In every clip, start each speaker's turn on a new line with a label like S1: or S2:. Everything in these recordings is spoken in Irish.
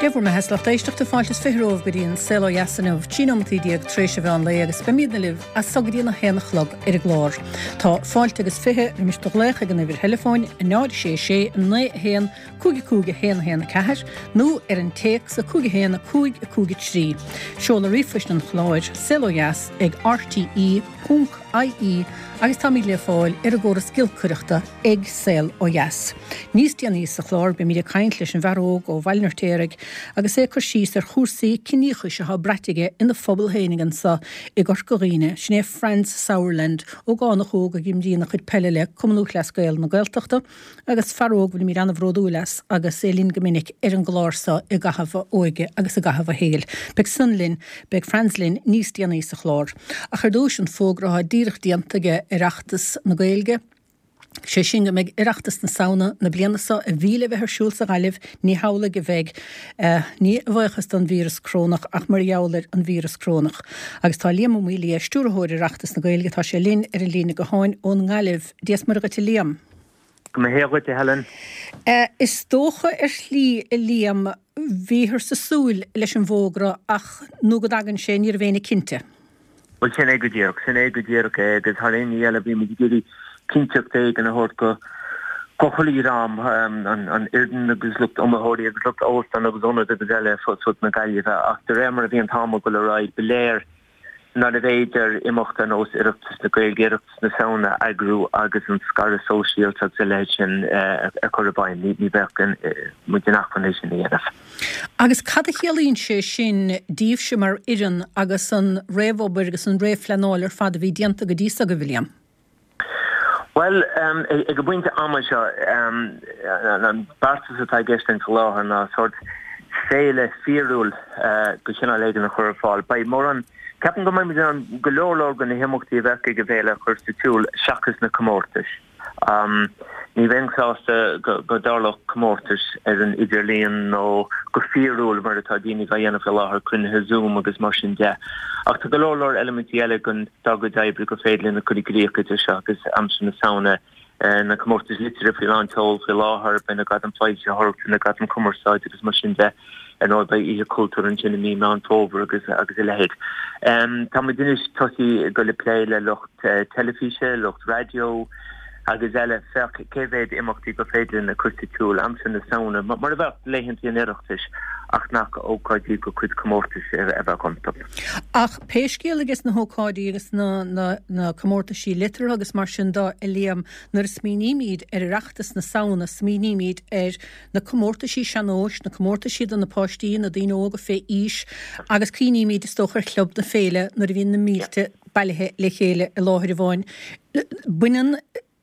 S1: Dé bhur mbeatha is lucht éisteachta, fáilte is 20 romhaibh go dtí an Saol Ó Dheas inniu, 13 nóimeataí tar éis an mheán lae agus beimidne libh as so go dtí an 1 a chlog ar an gclár. Tá fáilte agus 20 roimis do ghlaoch ag an uimhir theileafóin, 0 6 6 9 1 5 5 1 1 4 nó ar an téacs 5 1 5 5 3. Seoladh ríomhphoist an chláir, saolodheas ag rte ponc ie agus táimid le fáil ar an gcóras giolcaireachta ag Saol Ó Dheas. Níos déanaí sa chlár beimid ag caint leis an bhfear óg ó Bhaile an Fheirtéaraigh agus é ag cur síos ar chúrsaí ciníochais atá braite aige ina phobal féinig anso i gCorca Dhuibhne, sin é Franz Sauerland, ógánach óg a imríonn a chuid peile le Cumann Lúthchleas Gael na Gaeltachta agus fear óg a bhfuilimid an-bhródúil as agus é linn go minic ar an gclár so i gcaitheamh a óige agus i gcaitheamh a shaoil. Beidh san linn, beidh Franz linn níos déanaí sa chlár. Ach ar dtúis an fógra atá díreach déanta ag Oireachtas na Gaeilge, sé sin go mbeidh Oireachtas na Samhna na bliana so a bhí le bheith ar siúl sa Ghaillimh, ní hamhlaidh a bheidh, ní a bhuíochas don víreas corónach ach mar gheall ar an víreas corónach. Agus tá Liam Ó Maolaodha, Stiúrthóir Oireachtas na Gaeilge, tá sé linn ar an líne gutháin ón nGaillimh. Dia is Muire dhuit a Liam.
S2: Go mba hé dhuit a Helen.
S1: Is dócha ar shlí a Liam, bhíothar ag súil leis an bhfógra ach nó go dtagann sé ní raibh éinne cinnte.
S2: Bhuel sin é go díreach, sin é go díreach é agus thar aon ní eile bhí muid ag iarraidh cinnteacht éigin a thabhairt go go chuile dhream, an fhoireann agus lucht iomaitheoirí agus lucht óstán agus ionad agus eile fud fud na Gaillimhe ach de réir mar a bhí an t-am ag dul ar aghaidh ba léir nárbh fhéidir imeacht ar nós Oireachtas na Gaeilge, Oireachtas na Samhna a eagrú agus an scaradh sóisialta agus a leithéid sin a chur i bhfeidhm. Ní bheadh muid in acmhainn é sin a dhéanamh.
S1: Agus cad a chiallaíonn sé sin daoibhse mar fhoireann agus an réamhobair agus an réamhphleanáil ar fad a bhí déanta go dtí so agaibh, a Liam?
S2: Bhuel, ag an bpointe ama seo, an beartas atá i gceist linn faoi láthair ná sórt féile fíorúil de chineál éigin a chur ar fáil. Beidh mórán, ceapaim go mbeidh muid in ann go leor leor de na himeachtaí a bheadh ag an bhféile a chur sa tsiúl seachas na comórtais. Ní bheinn sásta go dtarlódh comórtais ar an idirlíon nó go fíorúil mar atá daoine á dhéanamh faoi láthair, cruinnithe Zoom agus mar sin de. Ach tá go leor leor eilimintí eile den dár gcuid oibre gur féidir linn a chur i gcrích idir seo agus aimsir na Samhna, na comórtais liteartha faoi lán tseoil faoi láthair, beidh na Gradaim Foilsitheoireachta, na Gradaim Cumarsáide agus mar sin de. Ar ndóigh beidh Oíche Chultúir ansin i mí Meán Fómhair agus agus a leithéid. Tá muid anois tosaithe ag dul ag plé le lucht teilifíse, lucht raidió agus eile féach cé mhéad imeachtaí gur féidir linn a chur sa tsiúl aimsir na Samhna, mar a bheadh laethanta an Oireachtais ach nach ócáidí de chuid comórtais a bheadh iontu.
S1: Ach pé scéal ages na hócáidí agus na na comórtaisí liteartha agus mar sin de, a Liam, nuair a smaoinímid ar Oireachtas na Samhna smaoinímid ar na comórtaisí sean-nóis, na comórtaisí do na páistí, na daoine óga fé aois agus cuimhnímid is dócha ar Chlub na Féile nuair a bhíonn na mílte bailithe le chéile i láthair amháin. Baineann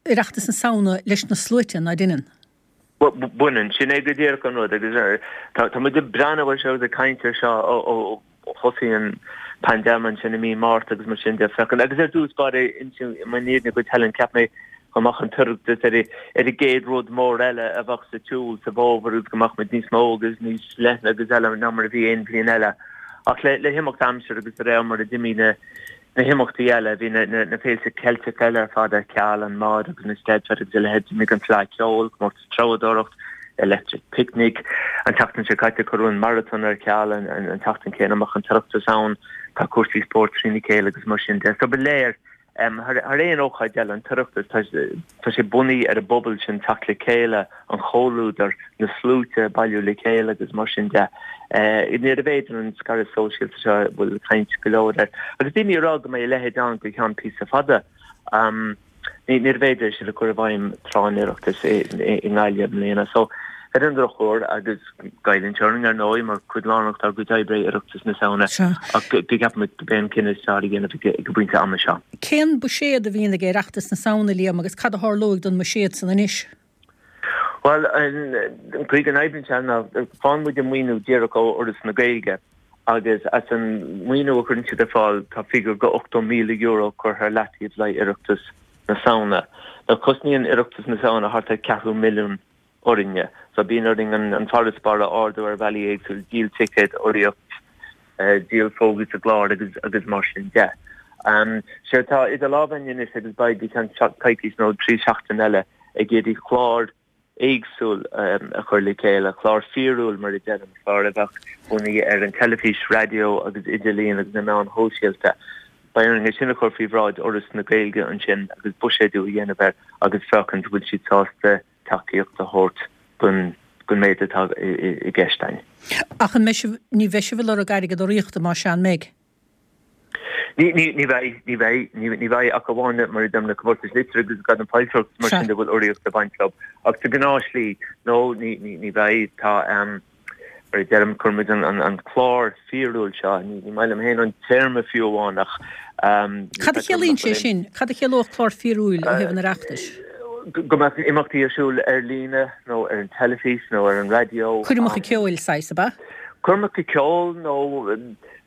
S1: Oireachtas na Samhna leis na sluaite, ná deineann?
S2: Baineann. Sin é go díreach an rud agus tá muid ag breathnú air seo agus ag caint air seo ó thosaigh an paindéim ansin i mí Márta agus mar sin de. Féachaint agus ar dtús báire inseoidh mé an fhírinne dhuit Helen, cheap mé go mbeadh an tOireachtas ar ar an gcéad rud mór eile a bheadh sa tsiúl sa bhfómhar agus go mbeadh muid níos mó agus níos leithne agus eile ná mar a bhí aon bhliain eile. Ach le le himeacht aimsire agus de réir mar a d'imigh na na himeachtaí eile, bhí na na féilte Ceilteacha eile ar fad ar ceal, an Mòd agus an Eisteddfod agus a leithéid, d'imigh an Fleadh Cheoil, Comórtas Treabhdóireacht, Electric Picnic. An tseachtain seo caite cuireadh an Marathon ar ceal, an tseachtain chéanna a mbeadh an tOireachtas ann, tá cúrsaí spóirt trína chéile agus mar sin de. So ba léir, thar aon ócáid eile, an tOireachtas, tá sé bunaithe ar an bpobal sin teacht le chéile, an comhluadar, na sluaite ag bailiú le chéile agus mar sin de. Níorbh fhéidir an scaradh sóisialta seo a bhfuil caint go leor air, agus daoine ag rá go mbeidh a leithéid ann go ceann píosa fada. Níorbh fhéidir é sin a chur i bhfeidhm tráth an Oireachtais i nGaillimh i mbliana. So, ar an drochuair, agus goilleann sé orainn ar ndóigh mar cuid lárnach dár gcuid oibre é Oireachtas na Samhna, ach go gceapaimid gurb é an cinneadh is fearr a dhéanamh ag an bpointe ama seo.
S1: Cén buiséad a bhíonn ag Oireachtas na Samhna, Liam, agus cad a tharlóidh don mbuiséad san anois?
S2: Bhuel, an chaoi go n-oibríonn sé ná faigheann muid an maoiniú díreach ó Fhoras na Gaeilge agus as an maoiniú a chuireann siad ar fáil tá figiúr de €80,000 curtha ar leataobh le haghaidh Oireachtas na Samhna. Now cosnaíonn Oireachtas na Samhna thart ar ceathrú milliún orainne so bíonn orainn an farasbarr a ardú ar bhealaí éagsúla, díol ticéad, urraíocht, díol fógraí sa gclár agus agus mar sin de. Séard atá idir lámha againn anois agus beidh go ceann coicís nó trí seachtain eile ag iarraidh clár. éagsúil a chur le chéile, clár fíorúil mar a deirim, clár a bheadh bunaithe ar an teilifís, raidió agus idirlíon agus na meáin shóisialta. Beidh orainn é sin a chur faoi bhráid Fhoras na Gaeilge ansin agus buiséadú a dhéanamh air agus féachaint an bhfuil siad sásta tacaíocht a thabhairt don méid atá i gceist againn.
S1: Ach an mbeidh sibh, ní bheidh sibh ag lorg airgead urraíochta, más ea, an mbeidh?
S2: Ní, ní, ní bheidh, ní bheidh, ní, ní bheidh ach amháin mar a deirim na comórtais liteartha agus Gradam Foilsitheoireachta mar sin de bhfuil urraíocht ag baint leo. Ach sa ghnáthshlí, no, ní, ní, ní bheidh. Tá, mar a deirim, cuireann muid an, an, an clár fíorúil seo, ní, ní maith liom féin an téarma fiú amháin ach,
S1: Cad a chiallaíonn sé sin? Cad a chiallódh clár fíorúil ó thaobh an Oireachtais?
S2: Go mbeadh imeachtaí ar siúl ar líne nó ar an teilifís nó ar an raidió.
S1: Coirmeacha ceoil, saghas, ab ea?
S2: Coirmeacha ceoil nó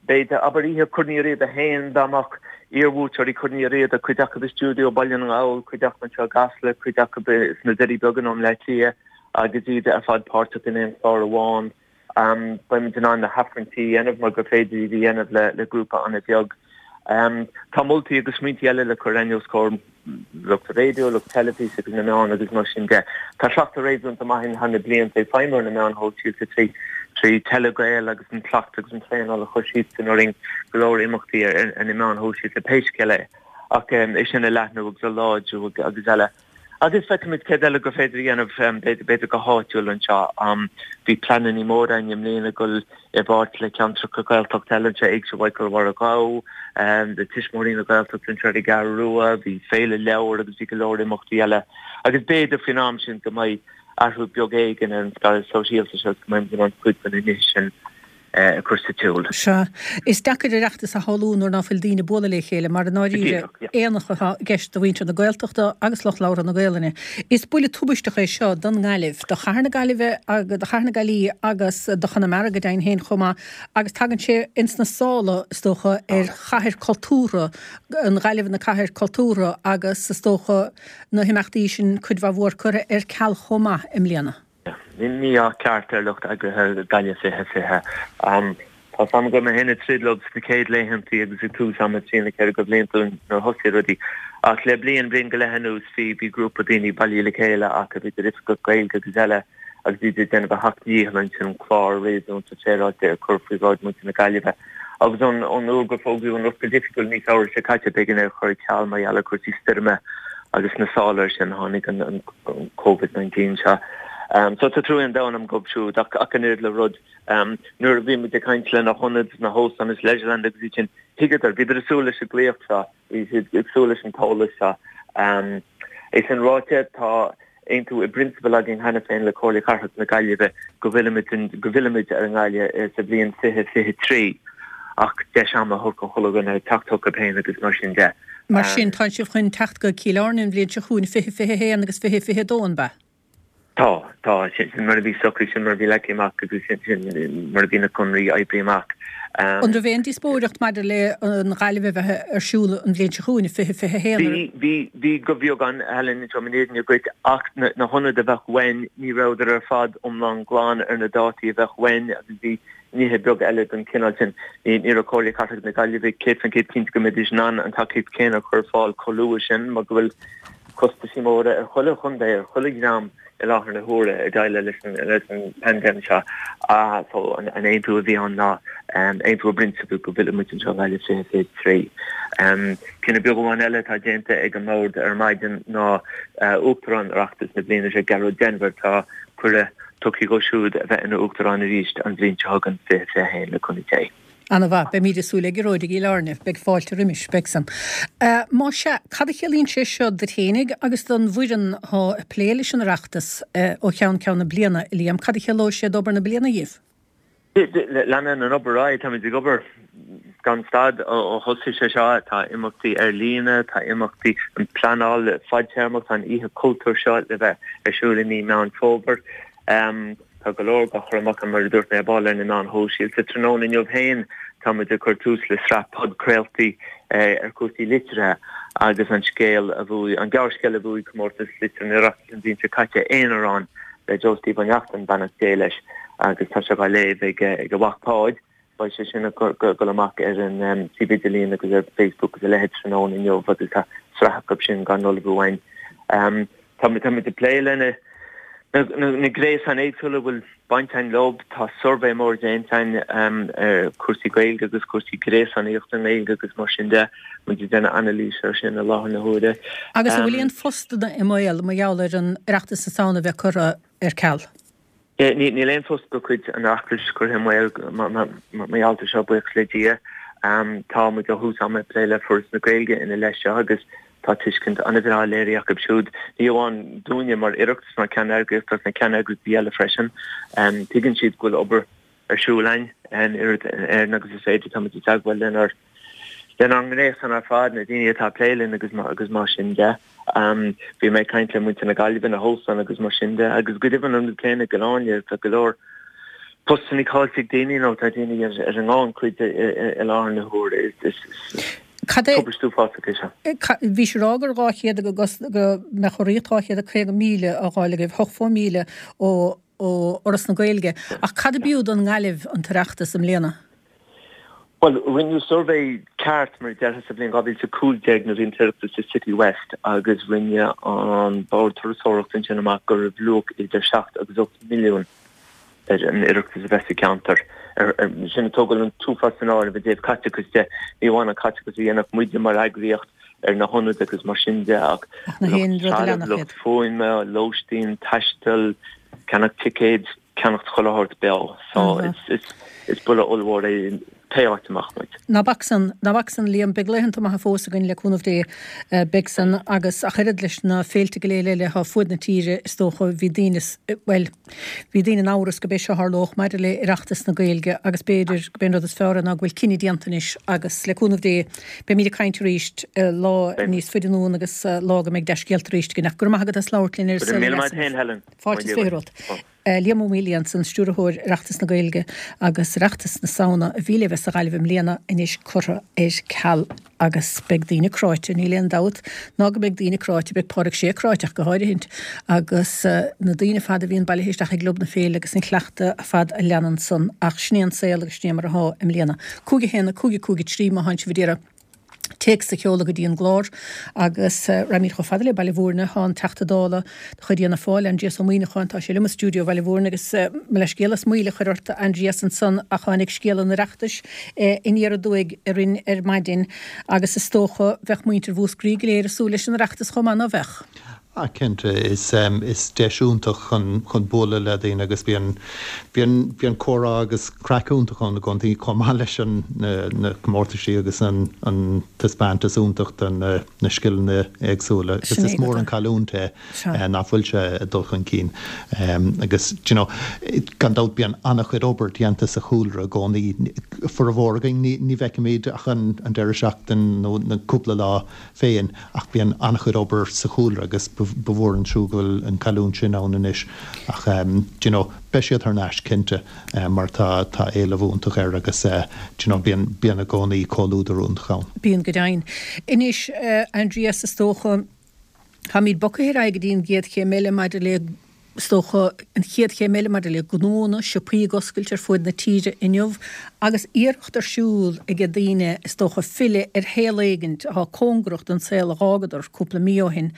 S2: B'fhéidir, abair oíche Chorn Uí Riada féin, dá mbeadh iarbhuaiteoirí Chorn Uí Riada, cuid acu i stiúideo Baile na nGall, cuid acu anseo i gCasla, cuid acu sna Doirí Beaga nó i mBleá Cliath, agus iad ar fad páirteach in aon chlár amháin. Beimid in ann na haifrinntí a dhéanamh mar gur féidir iad a dhéanamh le grúpa an-bheag. Tá moltaí agus smaointí eile le cur againn os comhair lucht raidió, lucht teilifíse agus na meán agus mar sin de. Tá cleachtadh réasúnta maith againn thar na blianta ag feidhmiú ar na meáin shóisialta trí trí Telegael agus an cleachtadh agus an traenáil a chuir siadsan orainn go leor imeachtaí ar na meáin shóisialta pé scéal é ach é sin a leathnú agus a láidriú agus eile. Agus feicfimid céard eile gur féidir a dhéanamh, b'fhéidir go háitiúil anseo. Bhí pleananna móra againn i mbliana dul i bpáirt le ceantracha Gaeltachta eile anseo, Éigse Mhichael Mháire Ghabha, le Tuismitheoirí na Gaeltachta anseo ar an gCeathrú Rua, bhí Féile Leabhar agus bhí go leor imeachtaí eile. Agus b'fhéidir faoin am sin go mbeidh athrú beag éigin ar an scaradh sóisialta seo agus go mbeimid in ann cuid de na nithe sin a chur sa tsiúl.
S1: Sea. Is deacair Oireachtas a shamhlú nuair ná fuil daoine ag bualadh le chéile, mar i ndáiríre, aonach atá i gceist do mhuintir na Gaeltachta agus lucht labhartha na Gaelainne. Is buille tubaisteach é seo don nGaillimh, do chathair na Gaillimhe, do chathair na Gaillí agus do Chonamara go deimhin féin chomh maith, agus tagann sé ins na sála, is dócha, ar chathair cultúrtha, an Ghaillimh ina cathair cultúrtha agus, is dócha, na himeachtaí sin cuid mhaith mhór curtha ar ceal chomh maith i mbliana.
S2: Ní mí-ádh ceart ar lucht eagraithe Gaillimh 2020. Tá 's agam go raibh mé féin ag troid leo sna céad laethantaí agus ag tús ama trí nó 4 de bhlianta nuair a thosaigh rudaí. Ach le bliain, bliain go leith anuas bhí bhí grúpa daoine bailithe le chéile acu, idir oifigeach Gaeilge agus eile, agus iad ag déanamh a seacht ndícheall ansin clár réasúnta féaráilte a chur faoi bhráid muintir na Gaillimhe. Agus ón uair gur fógraíodh an oscailt oifigiúil mí Feabhra seo caite, b'éigean é a chur ar ceal mar gheall ar chúrsaí stoirme agus sna sála air sin tháinig an Covid-19 seo. So tá trua an domhain agam dóibh siúd ach ach an oiread le rud, nuair a bhí muid ag caint le na hionaid, na hóstáin is Leisureland agus iad sin, thuigeadar, bhíodar ag súil leis an glaoch seo, bhí siad ag súil leis an t-eolas seo. É sin ráite, tá aontú i bprionsabal againn cheana féin le Comhairle Cathrach na Gaillimhe go bhfillfimid go bhfillfimid ar an nGaillimh sa bhliain 2023 ach deis ama a thabhairt do chuile dhuine teacht chucu féin agus mar sin de.
S1: Mar sin, tá sibh chun teacht go Cill Airne an bhliain seo chugainn, 2021 agus 2022, an bea?
S2: Tá, tá. Sin mar a bhí socraithe, sin mar a bhí leagtha amach agus sin mar a bhí na conraí oibrithe amach.
S1: An raibh aon díospóireacht maidir le an Ghaillimh a bheith ar siúl an bhliain seo chugainn, 2021?
S2: Bhí, bhí, bhí go beagán, Helen, inseoidh mé an fhírinne dhuit, ach na, na hionaid a bheadh uainn, ní rabhadar ar fad iomlán glan ar na dátaí a bheadh uainn agus bhí nithe beaga eile den chineál sin. Ní, ní raibh Comhairle Cathrach na Gaillimhe 100% cinnte go mbeidís in ann an tacaíocht chéanna a chur ar fáil chomh luath sin mar go bhfuil costaisí móra ar chuile chontae, ar chuile dhream i láthair na huaire ag déileáil leis an leis an bpaindéim seo. So an aontú a bhí ann ná aontú i bprionsabal go bhfillfidh muid anseo i nGaillimh 2023. Cinneadh beag amháin eile atá déanta ag an mbord ar maidin ná Uachtarán Oireachtas na bliana seo, Gearóid Denvir, tá cuireadh tugtha dhó siúd a bheith ina Uachtarán arís an bhliain seo chugainn, 2021, le cúnamh Dé.
S1: Ana-mhaith. Beimíd ag súil le Gearóid i gCill Airne. Beidh fáilte roimis, beidh san. Má sea, cad a chiallaíonn sé seo duit fhéinig agus don bhfoireann atá ag plé leis an Oireachtas ó cheann ceann na bliana, a Liam? Cad a chiallóidh sé d'obair na bliana dhíbh?
S2: Leanann an obair ar aghaidh. Táimid ag obair gan stad ó thosaigh sé seo. Tá imeachtaí ar líne, tá imeachtaí, an pleanáil fadtéarmach, tá an Oíche Chultúir seo le bheith ar siúl i mí Meán Fómhair. Tá go leor á chur amach, mar a dúirt mé ar ball, ar na meáin shóisialta. Tráthnóna inniu féin tá muid ag cur tús le sraith podchraoltaí ar chúrsaí liteartha agus an scéal a bhuaigh, an gearrscéal a bhuaigh Comórtas Liteartha an Oireachtais an bhliain seo caite, Aonarán, le Joe Steve Ó Neachtain, beannacht Dé leis, agus tá sé á léamh ag a mhac Páid. Beidh sé sin ag dul amach ar an suíomh idirlín agus ar Facebook agus a leithéid tráthnóna inniu agus tá sraith acu sin á n-ullmhú againn. Tá muid ag plé lena. Na gréasáin éagsúla a bhfuil baint againn leo, tá suirbhé mór déanta againn ar chúrsaí Gaeilge agus cúrsaí gréasánaíochta i nGaeilge agus mar sin de. Muid ag déanamh anailís air sin i láthair na huaire.
S1: Agus an bhfuil aon phostanna i mbaol mar gheall ar an Oireachtas na Samhna a bheith curtha ar ceal?
S2: Níl aon phost de chuid an Oireachtais curtha i mbaol mar gheall air seo, buíochas le Dia. Tá muid ó thús ama ag plé le Foras na Gaeilge ina leith seo agus Tá tuiscint an-bhreá léirithe acu siúd, ní amháin dúinne mar Oireachtas, mar cheanneagraíocht ach na ceanneagraíochtaí eile freisin. Tuigeann siad go bhfuil obair ar siúl againn, an oiread in agus is féidir. Táimid i dteagmháil lenár lenár ngréasán ar fad, na daoine atá ag plé linn agus agus mar sin de. Bhí mé ag caint le muintir na Gaillimhe, na hóstáin agus mar sin de, agus go deimhin an rud céanna i gCill Airne, tá go leor postanna caillte ag daoine nó tá daoine ar an ngannchuid i láthair na huaire. Is
S1: Cad é.
S2: Tubaist uafásach é seo.
S1: Bhís ag rá gur 200 go go mbeadh urraíocht 250,000 á fháil agaibh, 80,000 ó ó Fhoras na Gaeilge. Ach cad ab fhiú don nGaillimh an tOireachtas i mbliana?
S2: Bhuel, rinneadh suirbhé ceart, mar a déarfá, sa bhliain 2015 nuair a bhí an tOireachtas i City West agus rinne an Bord Turasóireachta ansin amach go raibh luach idir 7 agus 8 milliún ar an Oireachtas a bheith sa cheantar. Sin ag tógáil an t-uafás san áireamh i dtaobh caiteachais de, ní amháin an caiteachas a dhéanfadh muide mar eagraíocht ar na hionaid agus mar sin de ach
S1: lucht trealaimh,
S2: lucht fuaime, lóistín, taisteal, ceannach ticéid, ceannacht chuile shórt beo. So is buille ollmhór é pé áit a mbeadh muid.
S1: Ná bac san, ná bac san, Liam. Beidh laethanta maithe fós againn le cúnamh Dé. Beidh san agus ach oiread leis na féilte go léir eile atá fuaid na tíre is dócha bhí daoine, bhuel, bhí daoine in amhras go b'é seo a tharlódh maidir le Oireachtas na Gaeilge agus b'fhéidir go b'é an rud is fearr é ná go bhfuil cinneadh déanta anois agus le cúnamh Dé beimid ag caint arís lá níos faide anonn agus lá go mbeidh dea-scéalta arís againn. Ach go raibh maith agat as labhairt linn ar
S2: An Saol Ó Dheas inniu.
S1: Fáilte is 20 romhat. Liam Ó Maolaodha ansan, Stiúrthóir Oireachtas na Gaeilge agus Oireachtas na Samhna a bhí le bheith sa Ghaillimh i mbliana anois curtha ar ceal agus beidh daoine cráite, níl aon dabht ná go mbeidh daoine cráite, beidh Pádraig Sé cráite ach go háirithint agus na daoine ar fad a bhíonn bailithe isteach i gClub na Féile agus an cleachtadh ar fad a leanann san ach sin é an saol agus sin é mar athá i mbliana. 5 1 5 5 3 má thánn sibh ag iarraidh. téacs a sheoladh go dtí an gclár agus raghaimid chomh fada le Baile Bhúirne. Tá an Teachta Dála de chuid Fhianna Fáil, Aindrias Ó Muimhneacháin, tá sé liom i stiúideo Bhaile Bhúirne agus mo leithscéal as moill a chur ort, a Aindrias, ansan ach tháinig scéal an Oireachtais aniar aduaidh orainn ar maidin agus is dócha bheadh muintir Mhúscraí go léir ag súil leis an Oireachtas chomh maith, ná bheadh?
S3: Ah cinnte, is is deis iontach chun chun bualadh le daoine agus bíonn bíonn bíonn comhrá agus craic iontach ann i gcónaí chomh maith leis an na na comórtaisí agus an an taispeántas iontach de na na scileanna éagsúla agus is mór an cailliúint é nach bhfuil sé ag dul chun cinn agus do you know gan dabht bíonn an-chuid obair déanta sa chúlra i gcónaí formhór againn ní ní bhfeicimid ach an an deireadh seachtain nó na cúpla lá féin ach bíonn an-chuid obair sa chúlra agus ba mhór an trua go bhfuil an cailliúint sin ann anois ach do you know beidh siad thar n-ais cinnte mar tá tá éileamh iontach air agus do you know bíonn bíonn i gcónaí comhluadar iontach ann.
S1: Bíonn go deimhin. Anois Aindrias is dócha táimid bogtha ar aghaidh go dtí an gcéad chéim eile maidir le Is dócha, an chéad chéim eile maidir le gnónna, siopaí ag oscailt ar fuaid na tíre inniu agus iarracht ar siúl ag daoine, is dócha, filleadh ar shaol éigint atá cóngarach don saol a dh'fhágadar cúpla mí ó shin.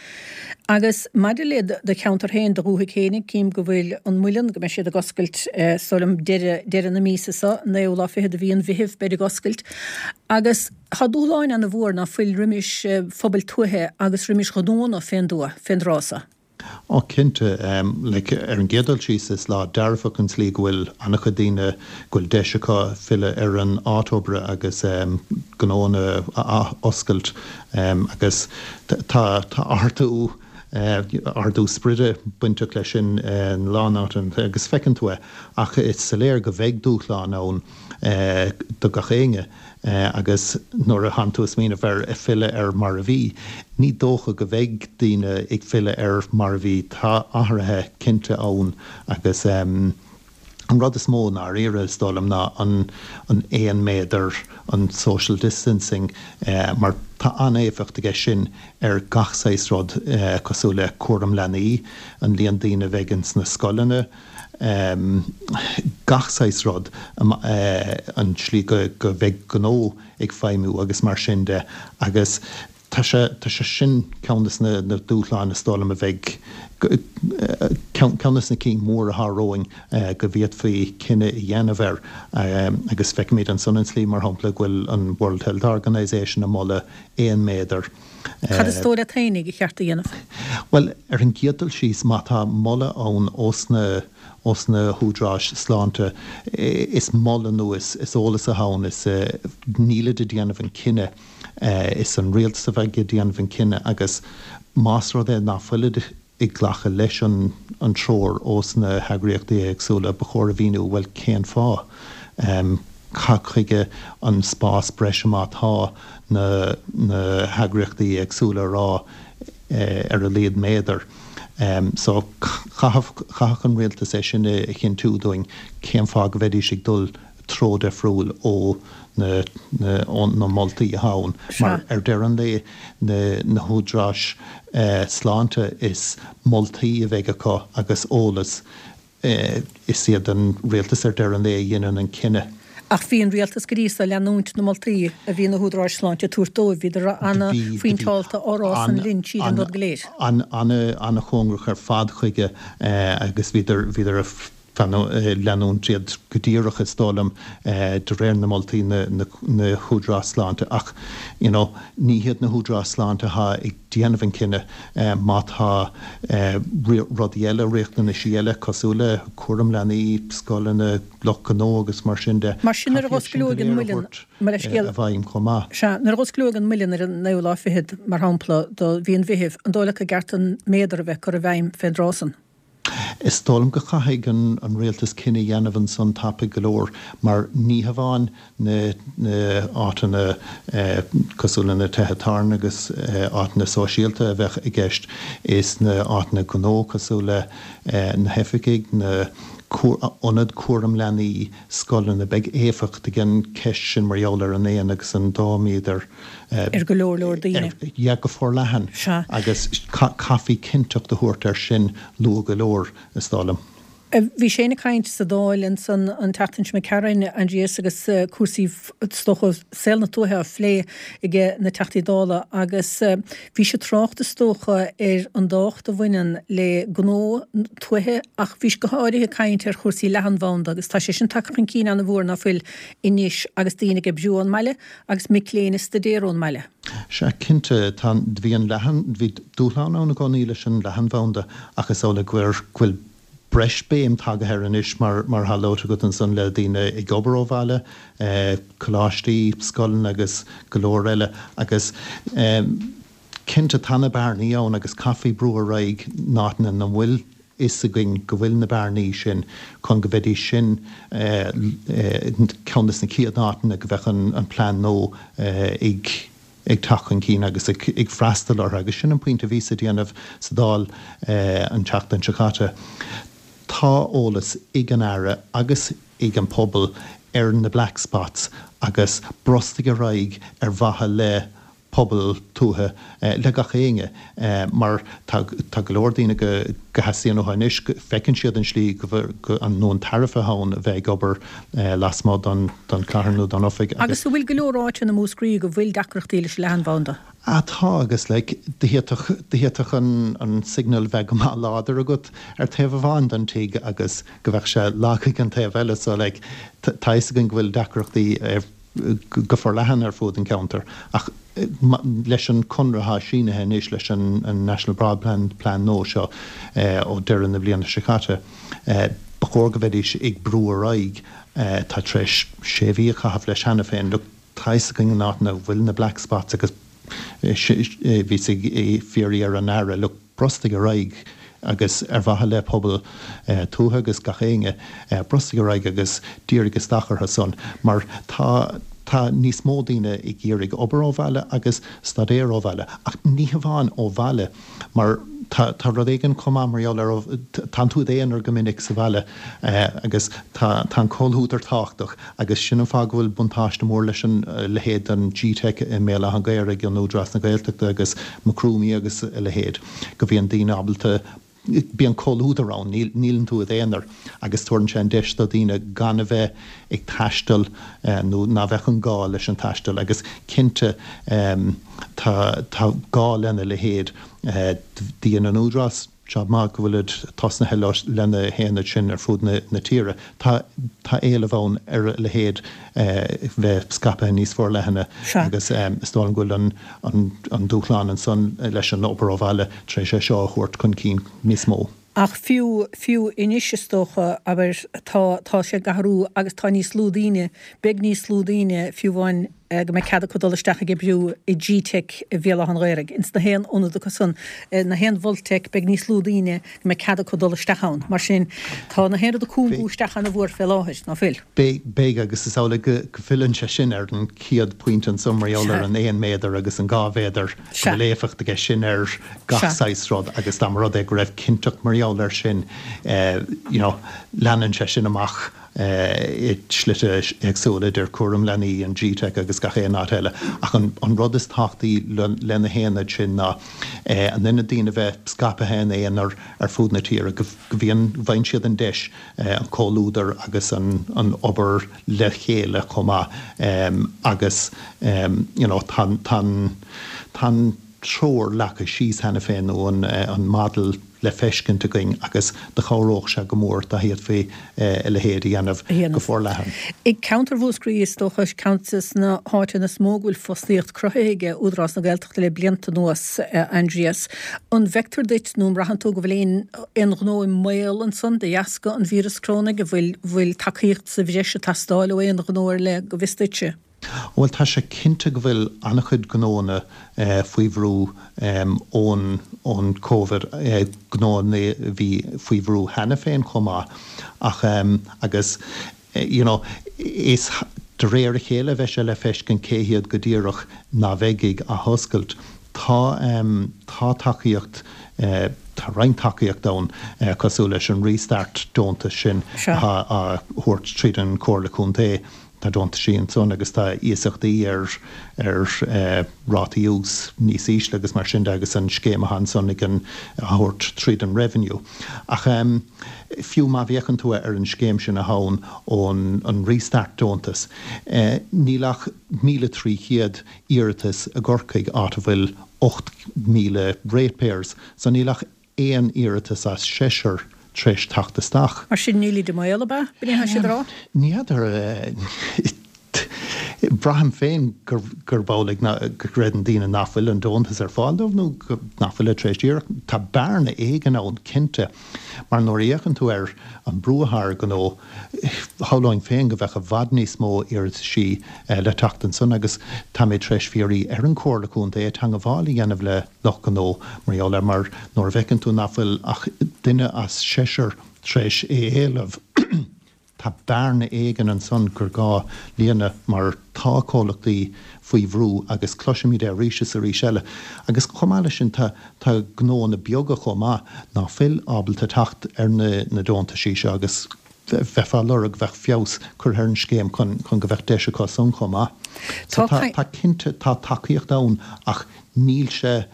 S1: Agus maidir le do cheantar féin, do dhúthaigh féinig, cím go bhfuil an Muileann, go mbeidh siad ag oscailt, is dóigh liom, deireadh, deireadh na míosa seo, an naoú lá fichead de mhí an Mheithimh, beid ag oscailt. Agus tá dúshláin ana mhór ná fuil roimis phobail tuaithe agus roimis ghnónna fén dtuath, fén dtráth so.
S3: Ó cinnte. Like, ar an gcéad dul síos is lá dearfach an tslí go bhfuil an-chuid daoine, go bhfuil deis acu filleadh ar an áit oibre agus gnóanna a ath-oscailt agus tá tá ardú ardú spride bainteach leis sin in a lán áiteanna agus feiceann tú é ach is soiléir go bheidh dúshláin ann do gach éinne. Agus nuair a thánn tú ag smaoineamh ar filleadh ar mar a bhí, ní dócha go mbeidh daoine ag filleadh ar mar a bhí. Tá athruithe cinnte ann agus an rud is mó i ndáiríre, is dóigh liom, ná an an aon méadar, an social distancing, mar tá an-éifeacht aige sin ar gach saghas rud cosúil le cúram leanaí, an líon daoine a bheidh ins na scoileanna, gach saghas rud, an tslí go mbeidh gnó ag feidhmiú agus mar sin de agus. Tá sé, tá sé sin ceann des na dúshláin is dóigh liom a bheidh, ceann des na cinn mhóra atá romhainn go bhféadfaí cinneadh a dhéanamh air. Agus feicimid ansan an tslí, mar shampla, go bhfuil an World Health Organisation ag moladh 1 méadar.
S1: Cad is dóigh leat fhéinig ba cheart a dhéanamh?
S3: Bhuel, ar an gcéad dul síos, má tá moladh ann ós na, ós na húdaráis sláinte, is moladh nó is eolas atá ann, is nílid ag déanamh an cinneadh. Is an rialtas a bheidh ag déanamh an cinneadh agus más rud é ná fuilid ag glacadh leis an treoir ós na heagraíochtaí éagsúla, ba chóir a mhíniú, bhuel, cén fáth? Cad chuige an spás breise má tá na heagraíochtaí éagsúla ag rá ar a laghad méadar? So, chaithfeadh an rialtas é sin a chinntiú dúinn, cén fáth go mbeidís ag dul treo difriúil ó na na moltaí atá ann mar ar deireadh an lae na na húdaráis sláinte is moltaí a bheidh acu agus eolas is iad an rialtas ar deireadh an lae a dhéanann an cinneadh.
S1: Ach bhí an rialtas go dtí so ag leanúint na moltaí a bhí na húdaráis sláinte ag tabhairt dóibh, bhíodar ana-phointeálta á rá san linn tríd an rud go léir.
S3: Ana-chóngarach ar fad chuige agus bhíodar bhíodar leanúint iad go díreach, is dóigh liom, de réir na moltaí na húdaráis sláinte. Ach, you know, ní hiad na húdaráis sláinte atá ag déanamh an cinneadh. Má tá rudaí eile, riachtanaisí eile, cosúil le cúram leanaí, scoileanna, lucht gnó agus mar sin de,
S1: Mar sin, nuair a
S3: caithfidh iad sin
S1: go
S3: léir a thabhairt i bhfeidhm chomh maith.
S1: Sea, nuair a dh'osclóidh an muileann ar an naoú lá fichead, mar shampla, do mhí an Mheithimh, an dóigh leat gur ceart an méadar a bheith curtha i bhfeidhm fén dtráth san?
S3: Is dóigh liom go chaithfidh an rialtas cinneadh a dhéanamh ansan tapaidh go leor mar ní hamháin na áiteanna cosúil le na tithe tábhairne agus áiteanna sóisialta a bheadh i gceist, is na áiteanna gnó cosúil le na hoifigigh, na ionaid cúram leanaí, scoileanna, beidh éifeacht ag an ceist sin mar gheall ar an aon agus an dá méadar.
S1: ar go leor leor daoine.
S3: Yeah, go forleathan.
S1: Sea.
S3: Agus caithfí cinnteacht a thabhairt air sin luath go leor, is dóigh liom.
S1: Bhí Shane ag caint sa Dáil ansan an tseachtain seo imigh tharainn, Aindrias, agus cúrsaí, is dócha, saol na tuaithe á phlé ag na Teachtaí Dála agus bhí sé ag trácht, is dócha, ar an dtábhacht a bhaineann le gnó tuaithe ach bhí sé go háirithe ag caint ar chúrsaí leathanbhanda agus tá sé sin tagtha chun cinn ana-mhór, ná fuil, anois agus daoine ag oibriú ón mbaile Agus mic léinn ag staidéar ón mbaile.
S3: Sea, cinnte, tá, bhí an leathan, bhí dúshlán ann i gcónaí leis an leathanbhanda ach is amhlaidh go bhfuil breis béim tagaithe air anois mar, mar atá luaite agat ansan le daoine ag obair ó bhaile, coláistí, scoileanna agus go leor eile agus cinnte tá na bearnaí ann agus caithfí brú ar aghaidh in áiteanna ina bhfuil fhios againn go bhfuil na bearnaí sin chun go mbeidís sin ceann de na chéad áiteanna go mbeadh an plean nua ag ag teacht chun cinn agus ag freastal orthu. Agus sin an pointe a bhíos ag déanamh sa Dáil an tseachtain seo caite. Tá eolas ag an Aire agus ag an pobal ar na black spots agus brostaigh ar aghaidh ar mhaithe le pobal tuaithe le gach éinne mar tá tá go leor daoine go go theastaíonn uathu anois go feiceann siad an slí go go nó an tairbhe atá ann a bheith ag obair lasmuigh don don chathair nó don oifig
S1: agus. Agus an bhfuil go leor áiteanna i Múscraí go bhfuil deacrachtaí leis an leathanbhanda?
S3: Ah tá agus like d'fhéadfadh d'fhéadfadh an an signal bheith go maith láidir agat ar taobh amháin den tigh agus go bheadh sé lag ag an taobh eile so like tá fhios againn go bhfuil deacrachtaí ar go forleathan ar fuaid an cheantair ach leis an conradh atá sínithe anois leis an National Broadband Plan nua seo ó deireadh na bliana seo caite, ba chóir go mbeidís ag brú ar aghaidh. Tá tar éis sé mhí a chaitheamh leis cheana féin. Look, tá fhios againn an áit ina bhfuil na black spots agus bhíos ag fiafraí ar an Aire, look, brostaigh ar aghaidh agus ar mhaithe le pobal tuaithe agus gach éinne, brostaigh ar aghaidh agus dírigh isteach orthu san mar tá tá níos mó daoine ag iarraidh obair ó bhaile agus staidéar ó bhaile ach ní hamháin ó bhaile mar tá tá rud éigin chomh maith mar gheall ar tánn tú i d'aonar go minic sa bhaile agus tá tá an comhluadar tábhachtach agus sin an fáth go bhfuil buntáiste mór leis an leithéid den G-Teic i mBéal Átha an Ghaorthaidh in Údarás na Gaeltachta agus Macroomie agus a leithéid, go mbíonn daoine ábalta. Bíonn comhluadar ann, níleann tú i d'aonar agus tabharann sé an deis do dhaoine gan a bheith ag taisteal nó ná bheadh an gá leis an taisteal agus cinnte tá tá gá lena leithéid. Dhein an Údarás jab maith go bhfuilid tosnaithe lena haonaid sin ar fud na tíre. Tá tá éileamh ann ar a leithéid bheith scaipthe níos forleithne agus is dóigh liom go bhfuil an an dúshlán ansan leis an obair ó bhaile tar éis é seo a thabhairt chun cinn níos mó.
S1: Ach fiú, fiú anois is dócha, abair, tá, tá sé ag athrú agus tá níos lú daoine, beidh níos lú daoine, fiú amháin go mbeidh cead acu dul isteach ag oibriú i G-Teic i Bhéal Átha an Ghaorthaidh, ins na haon ionad acu san, na haon Mholteic, beidh níos lú daoine go mbeidh cead acu dul isteach ann. Mar sin, tá na haon rud ag cúngú isteach ana-mhór fé láthair, ná fuil?
S3: Beidh, beidh, agus is amhlaidh go, go bhfilleann sé sin ar an chéad phointe ansan mar gheall ar an 1 méadar agus an 2 mhéadar, go bhfuil éifeacht aige sin ar gach saghas rud agus dá mba rud é go raibh cinnteacht mar gheall air sin, you know, leanann sé sin amach i slite éagsúla idir cúram leanaí, an G-Teic agus gach aon áit eile. Ach an, an rud is tábhachtaí le na haonaid sin ná an ionad daoine a bheith scaipthe ina aonar ar fud na tíre, go bhíonn, bhfaigheann siad an deis an comhluadar agus an obair le chéile chomh maith agus you know tá an tá an treoir leagtha síos cheana féin nó an model le feiscint againn agus do chabhródh sé go mór dá bhféadfaí a leithéid a dhéanamh go forleathan.
S1: I gceantar Mhúscraí is dócha ceann de na háiteanna is mó go bhfuil fostaíocht cruthaithe ag Údarás na Gaeltachta le blianta anuas, Aindrias. An bhfeictear duit nó an mbraitheann tú go bhfuil aon aon ghnó i mbaol ansan de dheasca an víreas corónaigh? An bhfuil bhfuil tacaíocht sa bhreis ag teastáil ó aon ghnó ar leith, go bhfios duitse?
S3: Bhuel, tá sé cinnte go bhfuil an-chuid gnóanna faoi bhrú ón ón Covid, gnóanna a bhí faoi bhrú cheana féin chomh maith ach agus you know is de réir a chéile a bheidh sé le feiscint cé hiad go díreach ná bheidh ag athoscailt. Tá tá tacaíocht, tá roinnt tacaíocht ann cosúil leis an Restart deontas sin atá á thabhairt tríd an Chomhairle Contae. Tá deontaisí ansan agus tá iasachtaí ar ar rátaí ús níos ísle agus mar sin de agus an scéim atá ansan ag an á thabhairt tríd an Revenue. Ach fiú má bhféachann tú ar an scéim sin atá ann ón an Restart deontas, níl ach 1,300 iarratas i gCorcaigh, áit a bhfuil 8,000 ratepayers, so níl ach aon iarratas as seisear tar éis teacht isteach.
S1: Mar sin nílid i mbaol, ab ea? B'in é atá siad a rá?
S3: Ní fheadar. Braithim féin gurb amhlaidh go gcreideann daoine nach bhfuil an deontas ar fáil dóibh nó nach bhfuilid tar éis iarraidh. Tá bearna éigin ann, cinnte, mar nuair a fhéachann tú ar an brú atá ar ghnó, shamhlóinn féin go bheadh i bhfad níos mó iarrataisí le teacht ansan agus tá mé tar éis fiafraí ar an Chomhairle Contae teangabháil a dhéanamh le lucht gnó mar gheall air mar nuair a bhfeiceann tú nach bhfuil ach duine as seisear tar éis é a éileamh tá bearna éigin ansan gur gá líonadh mar tá comhlachtaí faoi bhrú agus cloisimid é arís is arís eile. Agus chomh maith leis sin tá tá gnóanna beaga chomh maith ná fuil ábalta teacht ar na na deontaisí seo agus bheifeá ag lorg bheadh feabhas curtha ar an scéim chun chun go bheadh deis acu san chomh maith. So tá tá cinnte tá tacaíocht ann ach níl sé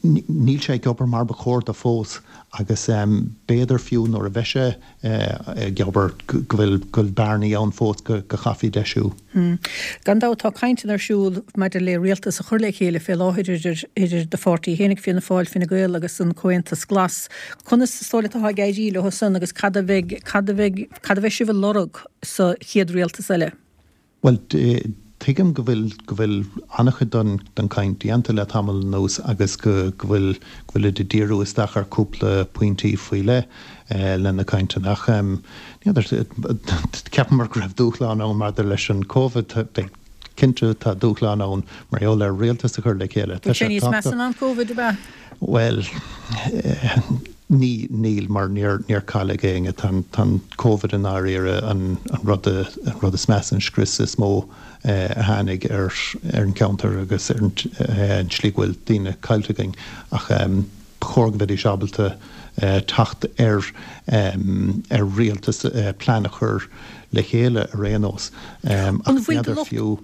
S3: níl sé ag obair mar ba chóir do fós agus b'fhéidir fiú nuair a bheidh sé ag obair go bhfuil go bhfuil bearnaí ann fós go chaithfí deisiú.
S1: Gan dabht tá cainteanna ar siúl maidir le rialtas a chur le chéile fé láthair idir idir do pháirtí fhéinig, Fianna Fáil, Fine Gael agus an Comhaontas Glas. Conas is dóigh leat atá ag éirí leo san agus cad a bheidh cad a bheidh cad a bheidh sibh a lorg sa chéad rialtas eile?
S3: Bhuel, tuigim go bhfuil, go bhfuil an-chuid den, den chaint déanta le tamall anuas agus go, go bhfuil, go bhfuilid ag díriú isteach ar cúpla pointí faoi leith le na cainteanna ach ní fheadar, cheapamar go raibh dúshlán ann maidir leis an Covid, beidh, cinnte tá dúshlán ann mar gheall ar rialtas a chur le chéile.
S1: Tá sé níos measa ná an Covid, ab ea?
S3: Bhuel, ní, níl, mar níor, níor cailleadh éinne. Tá an, tá an Covid i ndáiríre an, an rud, an rud is measa, an scrios is mó a tháinig ar, ar an cheantar agus ar an, an tslí go bhfuil daoine caillte againn. Ach. Ba chóir go mbeidís ábalta teacht ar ar rialtas, plean a chur le chéile ar aon nós. Ach n'fheadar fiú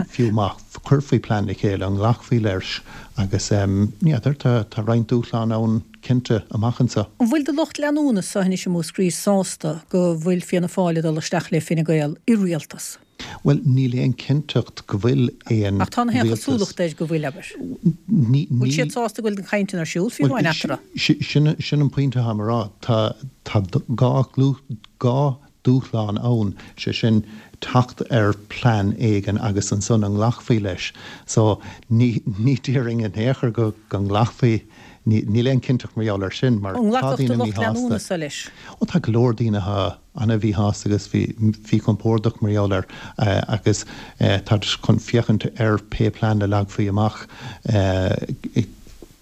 S3: fiú má chuirfí plean le chéile, an nglacfaí leis agus n'fheadar, tá roinnt dúshlán ann cinnte amach anseo.
S1: An bhfuil do lucht leanúna-sa anois i Múscraí sásta go bhfuil Fianna Fáil ag dul isteach le Fine Gael i rialtas?
S3: Bhuel, níl aon cinnteacht go bhfuil aon
S1: Ach tá na haon rialtas. chosúlacht air go bhfuil, abair. Ní, Bhfuil siad sásta go bhfuil na cainteanna ar siúl, fiú amháin eatarthu?
S3: Sin, sin an pointe atáim a rá. Tá, tá dhá dúshlán ann, sé sin teacht ar plean éigin agus ansan an nglacfaí leis. So, ní, ní déarfainn in aon chor go, go nglacfaí, ní, níl aon cinnteacht mar gheall air sin mar
S1: An tá nglacfadh do daoine lucht míshásta. leanúna-sa leis?
S3: Ó tá go leor daoine atá ana-mhíshásta agus mhíchompordach mar gheall air agus táid chun féachaint ar pé plean a leagfaí amach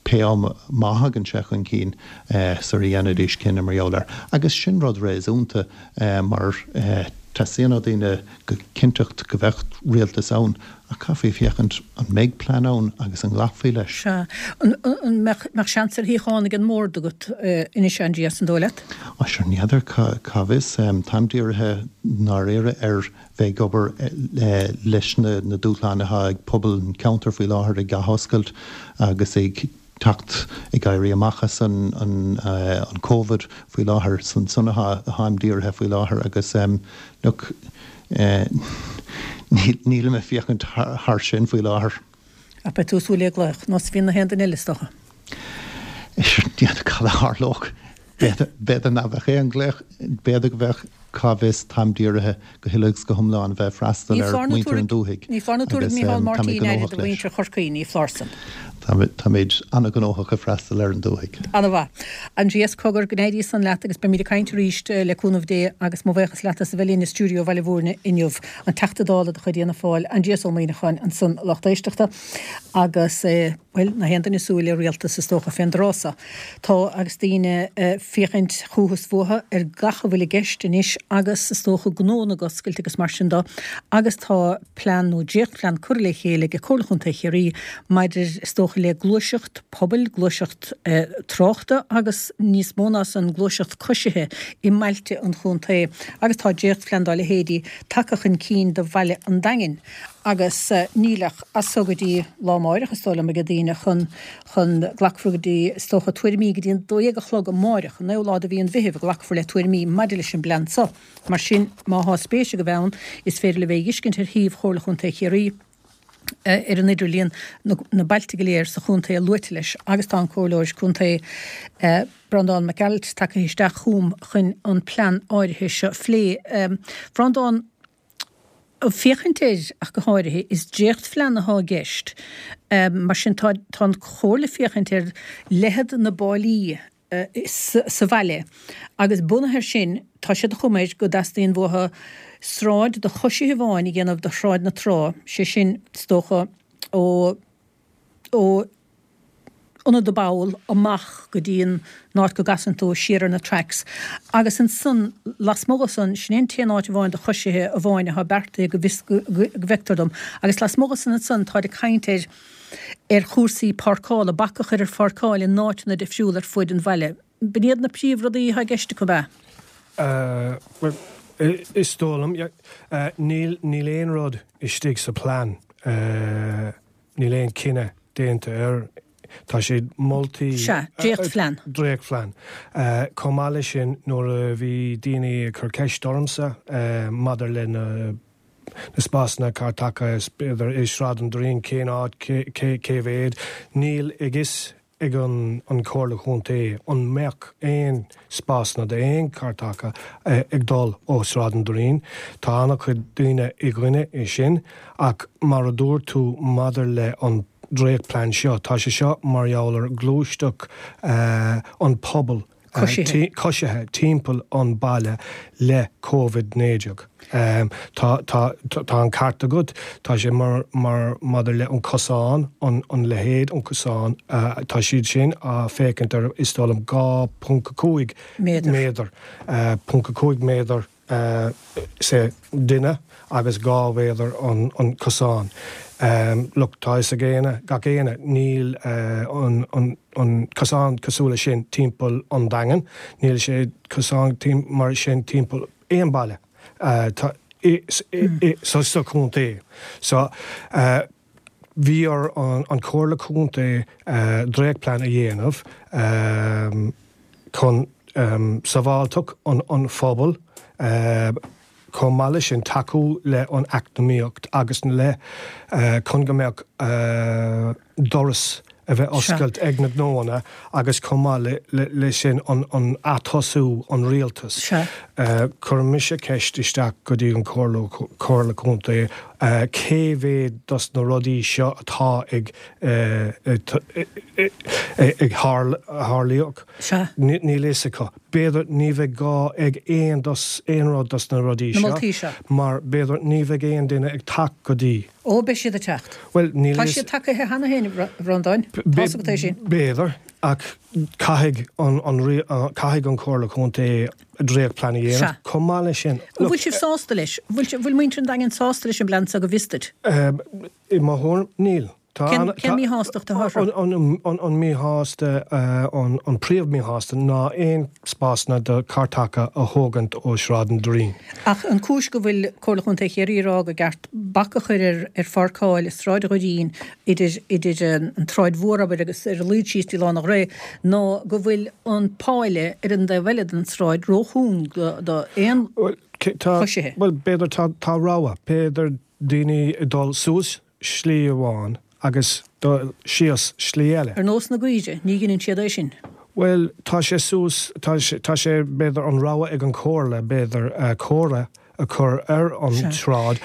S3: pé am má thagann sé chun cinn sar a dhéanfaidís cinneadh mar gheall air. Agus sin rud réasúnta mar teastaíonn ó daoine go cinnteacht go bheadh rialtas ann Ach caithfí féachaint an mbeidh plean ann agus an nglacfaí leis.
S1: Sea. An mbeadh seans ar shuíochán ag an mbord agat anois, Aindrias, an dóigh leat?
S3: Á, sure, n'fheadar, cá bhfios. Táim dírithe i ndáiríre ar bheith ag obair leis na dúshláin atá ag pobal an cheantair faoi láthair ag athoscailt agus ag teacht, ag éirí amach as an an Covid faoi láthair. Is ansan atáim dírithe faoi láthair agus look, nílim ag féachaint thar sin faoi láthair.
S1: Ach beidh tú ag súil le glaoch, nós a bhíonn na haon duine eile is dócha.
S3: N'fheadar cad a tharlódh. B'fhéidir nach bheadh aon ghlaoch, b'fhéidir go mbeadh, cá bhfios, táim dírithe go huile agus go hiomlán a bheith ag freastal ar mhuintir an dúthaigh
S1: Ní foláir nó tabharfaidh Micheál Martin aire do mhuintir Chorcaí, ní foláir san.
S3: Táimid an-ghnóthach ag freastal ar an dúthaigh.
S1: Ana-mhaith. Aindrias, cogar, go n-éirí san leat agus beimid ag caint arís le cúnamh Dé agus mo bhuíochas leat as a bheith linn i stiúideo Bhaile Bhúirne inniu. An Teachta Dála de chuid Fhianna Fáil, Aindrias Ó Muimhneacháin ansan, a lucht éisteachta agus, bhuel, na haon duine ag súil le rialtas is dócha fén dtráth so. Tá agus daoine ag féachaint chúthu is fúthu ar gach a bhfuil i gceist anois agus is dócha gnónna ag oscailt agus mar sin de agus tá plean nó dréachtphlean curtha le chéile ag Comhairle Chontae Chiarraí maidir is dócha le gluaiseacht pobail, gluaiseacht tráchta agus níos mó ná san gluaiseacht coisithe i mbailte an chontae agus tá dréachtphlean dá leithéidí tagtha chun cinn do bhaile an Daingin agus níl ach as so go dtí lá amáireach is dóigh liom ag daoine chun chun, glacfar go dtí, is dócha, tuairimí go dtí an 12 a chlog amáireach, an naoú lá de mhí an Mheithimh, a glacfar le tuairimí maidir leis an bplean so. Mar sin, má thá spéis agaibh ann, is féidir libh é a dh'fheiscint ar shuíomh Chomhairle Chontae Chiarraí ar an idirlíon, na bailte go léir sa chontae luaite leis, agus tá an Comhairleoir Contae, Breandán Mac Gearailt, tagtha isteach chugam chun an plean áirithe seo a phlé. Bhreandáin. Féachaint air ach go háirithe, is dréachtphlean atá i gceist. Mar sin tá an Chomhairle ag féachaint ar leithead na bpáilí sa bhaile agus bunaithe air sin tá siad de chuma air go dteastaíonn uathu sráid do choisithe amháin a dhéanamh de Shráid na Trá, sé sin is dócha ó ó Ionad na bPoll amach go dtí an áit go gcasann tú siar ar na tracks agus ansan lasmuigh de san, sin é an t-aon áit amháin do choisithe amháin atá beartaithe go bhfios, go bhfeictear dom, agus lasmuigh de san ansan táid ag caint ar ar chúrsaí páirceála, bac a chur ar pháirceáil in áiteanna difriúla ar fuaid an bhaile. B'in iad na príomhrudaí atá i gceist acu, ab
S4: ea? Bhuel, is dóigh liom, yeah. Níl, níl aon rud istigh sa plean. Níl aon chinneadh déanta air. Tá siad moltaí.
S1: Sea, dréachtphlean.
S4: Dréachtphlean. Chomh maith leis sin, nuair a bhí daoine ag cur ceist ormsa maidir le na spásanna carr taca, b'fhéidir i Sráid an Doirín, cén áit, cé mhéad, níl a fhios ag an Chomhairle Chontae an mbeadh aon spásanna d'aon charr taca ag dul ó Sráid an Doirín. Tá an-chuid daoine i gcoinne é sin ach mar a dúirt tú maidir le an dréachtplean seo, tá sé seo mar gheall ar ghluaisteacht an pobal coisithe timpeall an baile le Covid 19. Tá tá tá an ceart agat, tá sé mar mar maidir le an cosán, an an leithéid an cosán, tá siad sin á féachaint ar is dóigh liom 2.5 méadar, méadar, .5 méadar. Sé duine agus 2 mhéadar an cosán. Look, tá fhios ag éinne, gach éinne, níl an cosán cosúil le sin timpeall an Daingean, níl sé cosán mar sin timpeall aon baile sa chontae. So, bhí ar an Chomhairle Contae dréachtplean a dhéanamh chun sábháilteacht an phobail, chomh maith leis sin tacú le an eacnamaíocht agus le chun go mbeadh doras a bheith oscailt ag na gnóanna agus chomh maith le sin an atosú an rialtas. Chuir mise ceist isteach go dtí an Chomhairle Contae cé mhéad dos na rudaí seo atá ag ag tharlaíodh. Níl fhios acu. B'fhéidir ní bheidh gá ag aon dos aon rud dos na rudaí seo mar b'fhéidir ní bheidh aon duine ag teacht go dtí.
S1: Ó, beidh siad ag teacht.
S4: Bhuel, níl
S1: Tá siad tagaithe cheana féin, a Bhreandáin. Tá's agat é sin.
S4: B'fhéidir, ach caithfidh an, caithfidh an Chomhairle Contae dréachtplean a dhéanamh. Chomh maith leis sin,
S1: An bhfuil sibh sásta leis? Bhfuil, bhfuil muintir an Daingin sásta leis an bplean seo go bhfios duit?
S4: I mo thuairim, níl.
S1: Cén, cén míshástacht atá orthu?
S4: An míshásta, an príomh-mhíshásta ná aon spásanna do chairteacha a thógaint ó Shráid an Doirín.
S1: Ach an cúis go bhfuil Comhairle Chontae Chiarraí ag rá go gceart bac a chur ar ar pháirceáil i Sráid an Dhoirín idir idir an tSráid Mhór abair agus ar a laghad síos dtí Lána Ghrae ná go bhfuil an páile ar an dtaobh eile den tsráid róchúng do do aon
S4: choisithe. Bhuel, b'fhéidir tá tá rogha, b'fhéidir daoine ag dul suas slí amháin agus dul síos slí eile.
S1: Ar nós na gcaoire, ní dheineann siad é sin.
S4: Bhuel, tá sé suas, tá sé, tá sé, b'fhéidir, an rogha ag an Chomhairle, b'fhéidir, comhartha a chur ar an tsráid,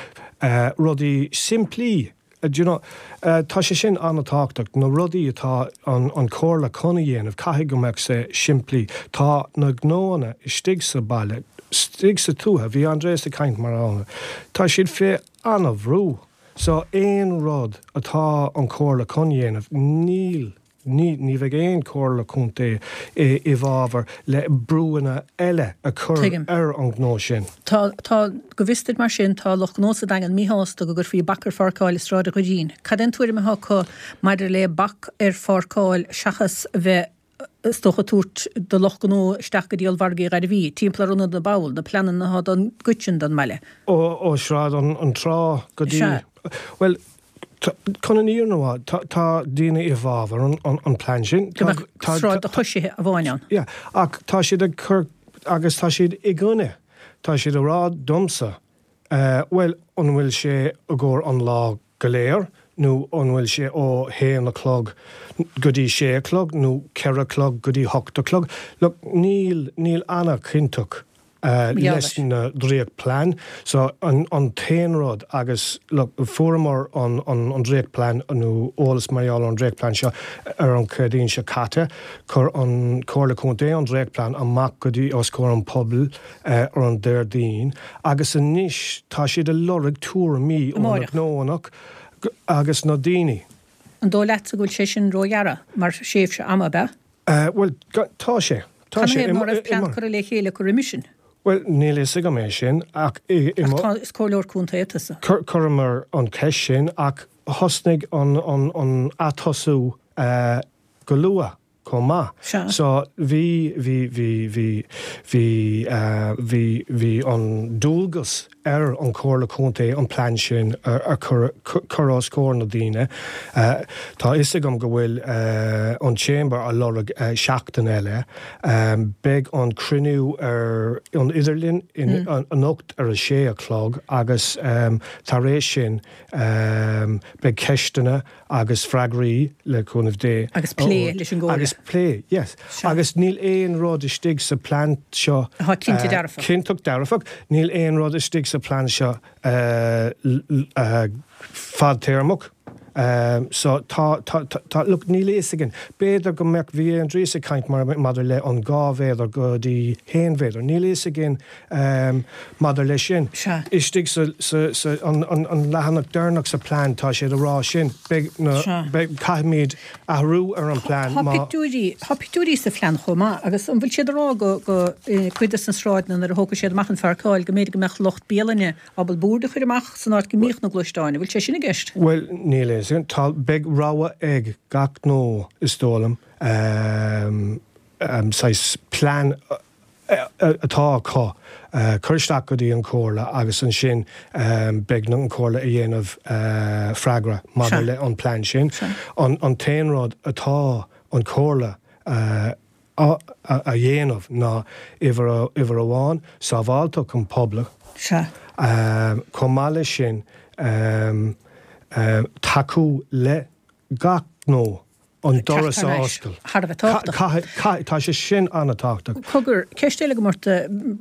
S4: rudaí simplí, do you know, tá sé sin an-tábhachtach, na rudaí atá an, an Chomhairle chun a dhéanamh, caithfidh go mbeadh sé simplí. Tá na gnóanna istigh sa baile, istigh sa tuaithe, bhí Andreas ag caint mar ann, tá siad fé an-bhrú. So aon rud atá an Chomhairle chun dhéanamh, níl, ní, ní bheidh aon Chomhairle Contae i, i bhfabhar le brúanna eile a chur
S1: Tuigim.
S4: ar an ngnó sin.
S1: Tá, tá, go bhfios duit mar sin, tá lucht gnó sa Daingean míshásta go gcuirfí bac ar pháirceáil i Sráid an Dhoirín. Cad é an tuairim atá acu maidir le bac ar pháirceáil seachas a bheith is dócha, tabhairt do lucht gnó isteach go dtí ollmhargaí Ghairbhí, timpeall ar Ionad na bPoll, na pleananna atá don gcuid sin den mbaile.
S4: Ó Shráid an Trá go dtí.
S1: Sea.
S4: Bhuel, chun an fhírinne a rá, tá daoine i bhfabhar an plean sin.
S1: Go mbeadh sráid do choisithe amháin ann.
S4: Yeah, ach tá siad ag cur, agus tá siad i gcoinne, tá siad ag rá domsa, bhuel, an bhfuil sé i gcomhair an lá go léir nó an bhfuil sé ó haon a chlog go dtí sé a chlog nó ceithre a chlog go dtí hocht a chlog. Look, níl, níl an-chinnteacht leis na dréacht-plean. So an, an t-aon rud agus look, fuaireamar an, an, an dréacht-plean nó eolas mar gheall ar an dréacht-plean seo ar an Chéadaoin seo caite. Chuir an Chomhairle Contae an dréacht-plean amach go dtí os comhair an pobail ar an Déardaoin agus anois tá siad ag lorg tuairimí ó na gnóanna agus na daoine.
S1: An dóigh leatsa go bhfuil sé sin róghearr mar thréimhse ama, ab
S4: ea? Bhuel, tá sé.
S1: Tá sé. Canathaobh ná raibh plean curtha le chéile acu roimis sin?
S4: Bhuel, níl a fhios agam é sin ach i
S1: mo. Ach tá, is comhairleoir contae tusa.
S4: Chuireamar an cheist sin ach thosnaigh an atosú go luath. chomh maith.
S1: Sea.
S4: So bhí, bhí, bhí, bhí, bhí, bhí, bhí an dualgas ar an Chomhairle Contae an plean sin a chur, cur os comhair na daoine. Tá a fhios agam go bhfuil an Chamber a lorg seachtain eile. Beidh an cruinniú ar an idirlíon anocht ar a sé a chlog agus tar éis sin beidh ceisteanna agus freagraí, le cúnamh Dé.
S1: Agus plé leis an gComhairle.
S4: Agus plé, yes.
S1: Sea.
S4: Agus níl aon rud istigh sa plean seo.
S1: Atá cinnte dearfach.
S4: Cinnteach dearfach. Níl aon rud istigh sa plean seo fadtéarmach. So tá, tá, tá, look, níl a fhios againn. B'fhéidir go mbeadh, bhí Aindrias ag caint mar, maidir le an 2 mhéadar go dtí haon mhéadar. Níl a fhios againn maidir leis sin.
S1: Sea.
S4: Istigh sa, sa, sa, an, an, an leathanach deireanach sa plean tá sé ag rá sin. Beidh na,
S1: Sea.
S4: beidh, caithfimid athrú ar an plean
S1: Tá
S4: má.
S1: pictiúirí, tá pictiúirí sa phlean chomh maith agus an bhfuil siad ag rá go, go, cuid de na sráideanna nuair a thógfaidh siad amach an pháirceáil go mb'fhéidir go mbeadh lucht bialainne ábalta boird a chur amach san áit go mbíodh na gluaisteáin. An bhfuil sé sin i gceist?
S4: Bhuel, níl a fhios againn. Tá, beidh rogha ag gach gnó, is dóigh liom, saghas plean atá acu, cur isteach go dtí an Chomhairle agus ansin beidh an Chomhairle a dhéanamh freagra maidir le an plean sin. An t-aon rud atá an Chomhairle a a dhéanamh ná, uimhir amháin, sábháilteacht an phobail, chomh maith leis sin, tacú le gach gnó an doras a oscailt.
S1: Thar a bheith tábhachtach.
S4: Tá sé sin an-tábhachtach.
S1: Cogar, ceist eile agam ort,